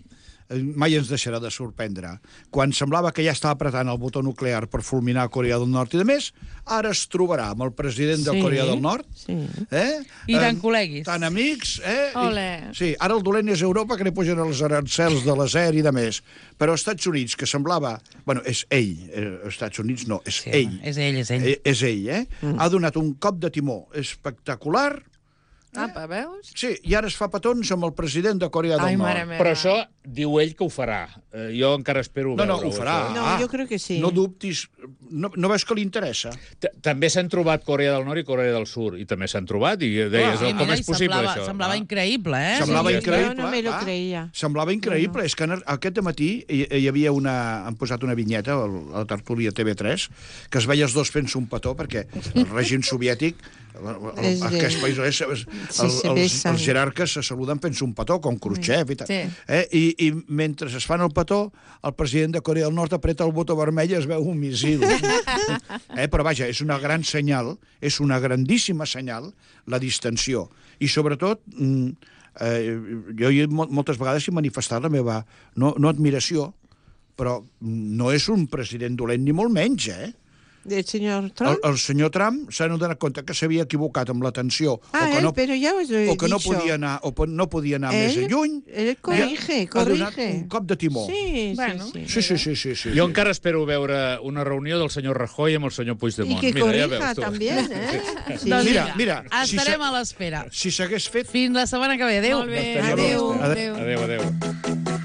eh, mai ens deixarà de sorprendre. Quan semblava que ja estava apretant el botó nuclear per fulminar Corea del Nord i de més, ara es trobarà amb el president de Sí, Corea del Nord. sí. Eh? I tan Eh, col·leguis. Tan amics. Eh? I- Ole. Sí, ara el dolent és Europa, que li pugen els arancels de l'acer i de més. Però als Estats Units, que semblava... Bueno, és ell. Eh, als Estats Units no, és Sí, ell. home, és ell, és ell. Eh, és ell, eh? Mm. Ha donat un cop de timó espectacular. Apa, veus? Sí, i ara es fa petons amb el president de Corea del Ai, Nord. mare meva. Però això diu ell que ho farà. Eh, jo encara espero No, no, veure-ho. ho farà. això. No, jo crec que sí. No dubtis. No, no veus que li interessa? T- També s'han trobat Corea del Nord i Corea del Sud, i també s'han trobat, i deies, Sí, oh, com mira, és i possible, semblava, això? semblava Ah. increïble, eh? Semblava sí, increïble. jo no me lo clar. creia. Semblava increïble. És que aquest matí hi, hi havia una... Han posat una vinyeta a la tertúlia T V tres que es veia els dos fent-se un petó perquè el règim soviètic, el, el, És de- aquest país, és, és, Sí, el, se els, besen. els jerarques se saluden fent-se un petó, com Khrushchev i tal. Sí. Eh? I, I mentre es fan el petó, el president de Corea del Nord apreta el botó vermell i es veu un missil. eh? Però vaja, és una gran senyal, és una grandíssima senyal, la distensió. I sobretot, mm, eh, jo hi, mol- moltes vegades he manifestat la meva, no, no admiració, però no és un president dolent ni molt menys, eh? Del señor El, Trump. el senyor Trump s'ha donat compte que s'havia equivocat amb l'atenció, Ah, o que él, no, pero ya os lo he o que no dicho. podia anar, o po- no podia anar Él- més lluny. él corrige, ha donat corrige. un cop de timó. Sí, Bueno. sí, sí. Sí, sí, sí, sí, sí. Jo encara espero veure una reunió del senyor Rajoy amb el senyor Y Puigdemont. que Mira, ja corrija veus tu. también, ¿eh? Sí. Doncs Mira, mira, si estarem sa- a l'espera. Si s'hagués fet... Fins la setmana que ve. Adéu. Molt bé, Estaria adéu. bé. adéu. Adéu, adéu.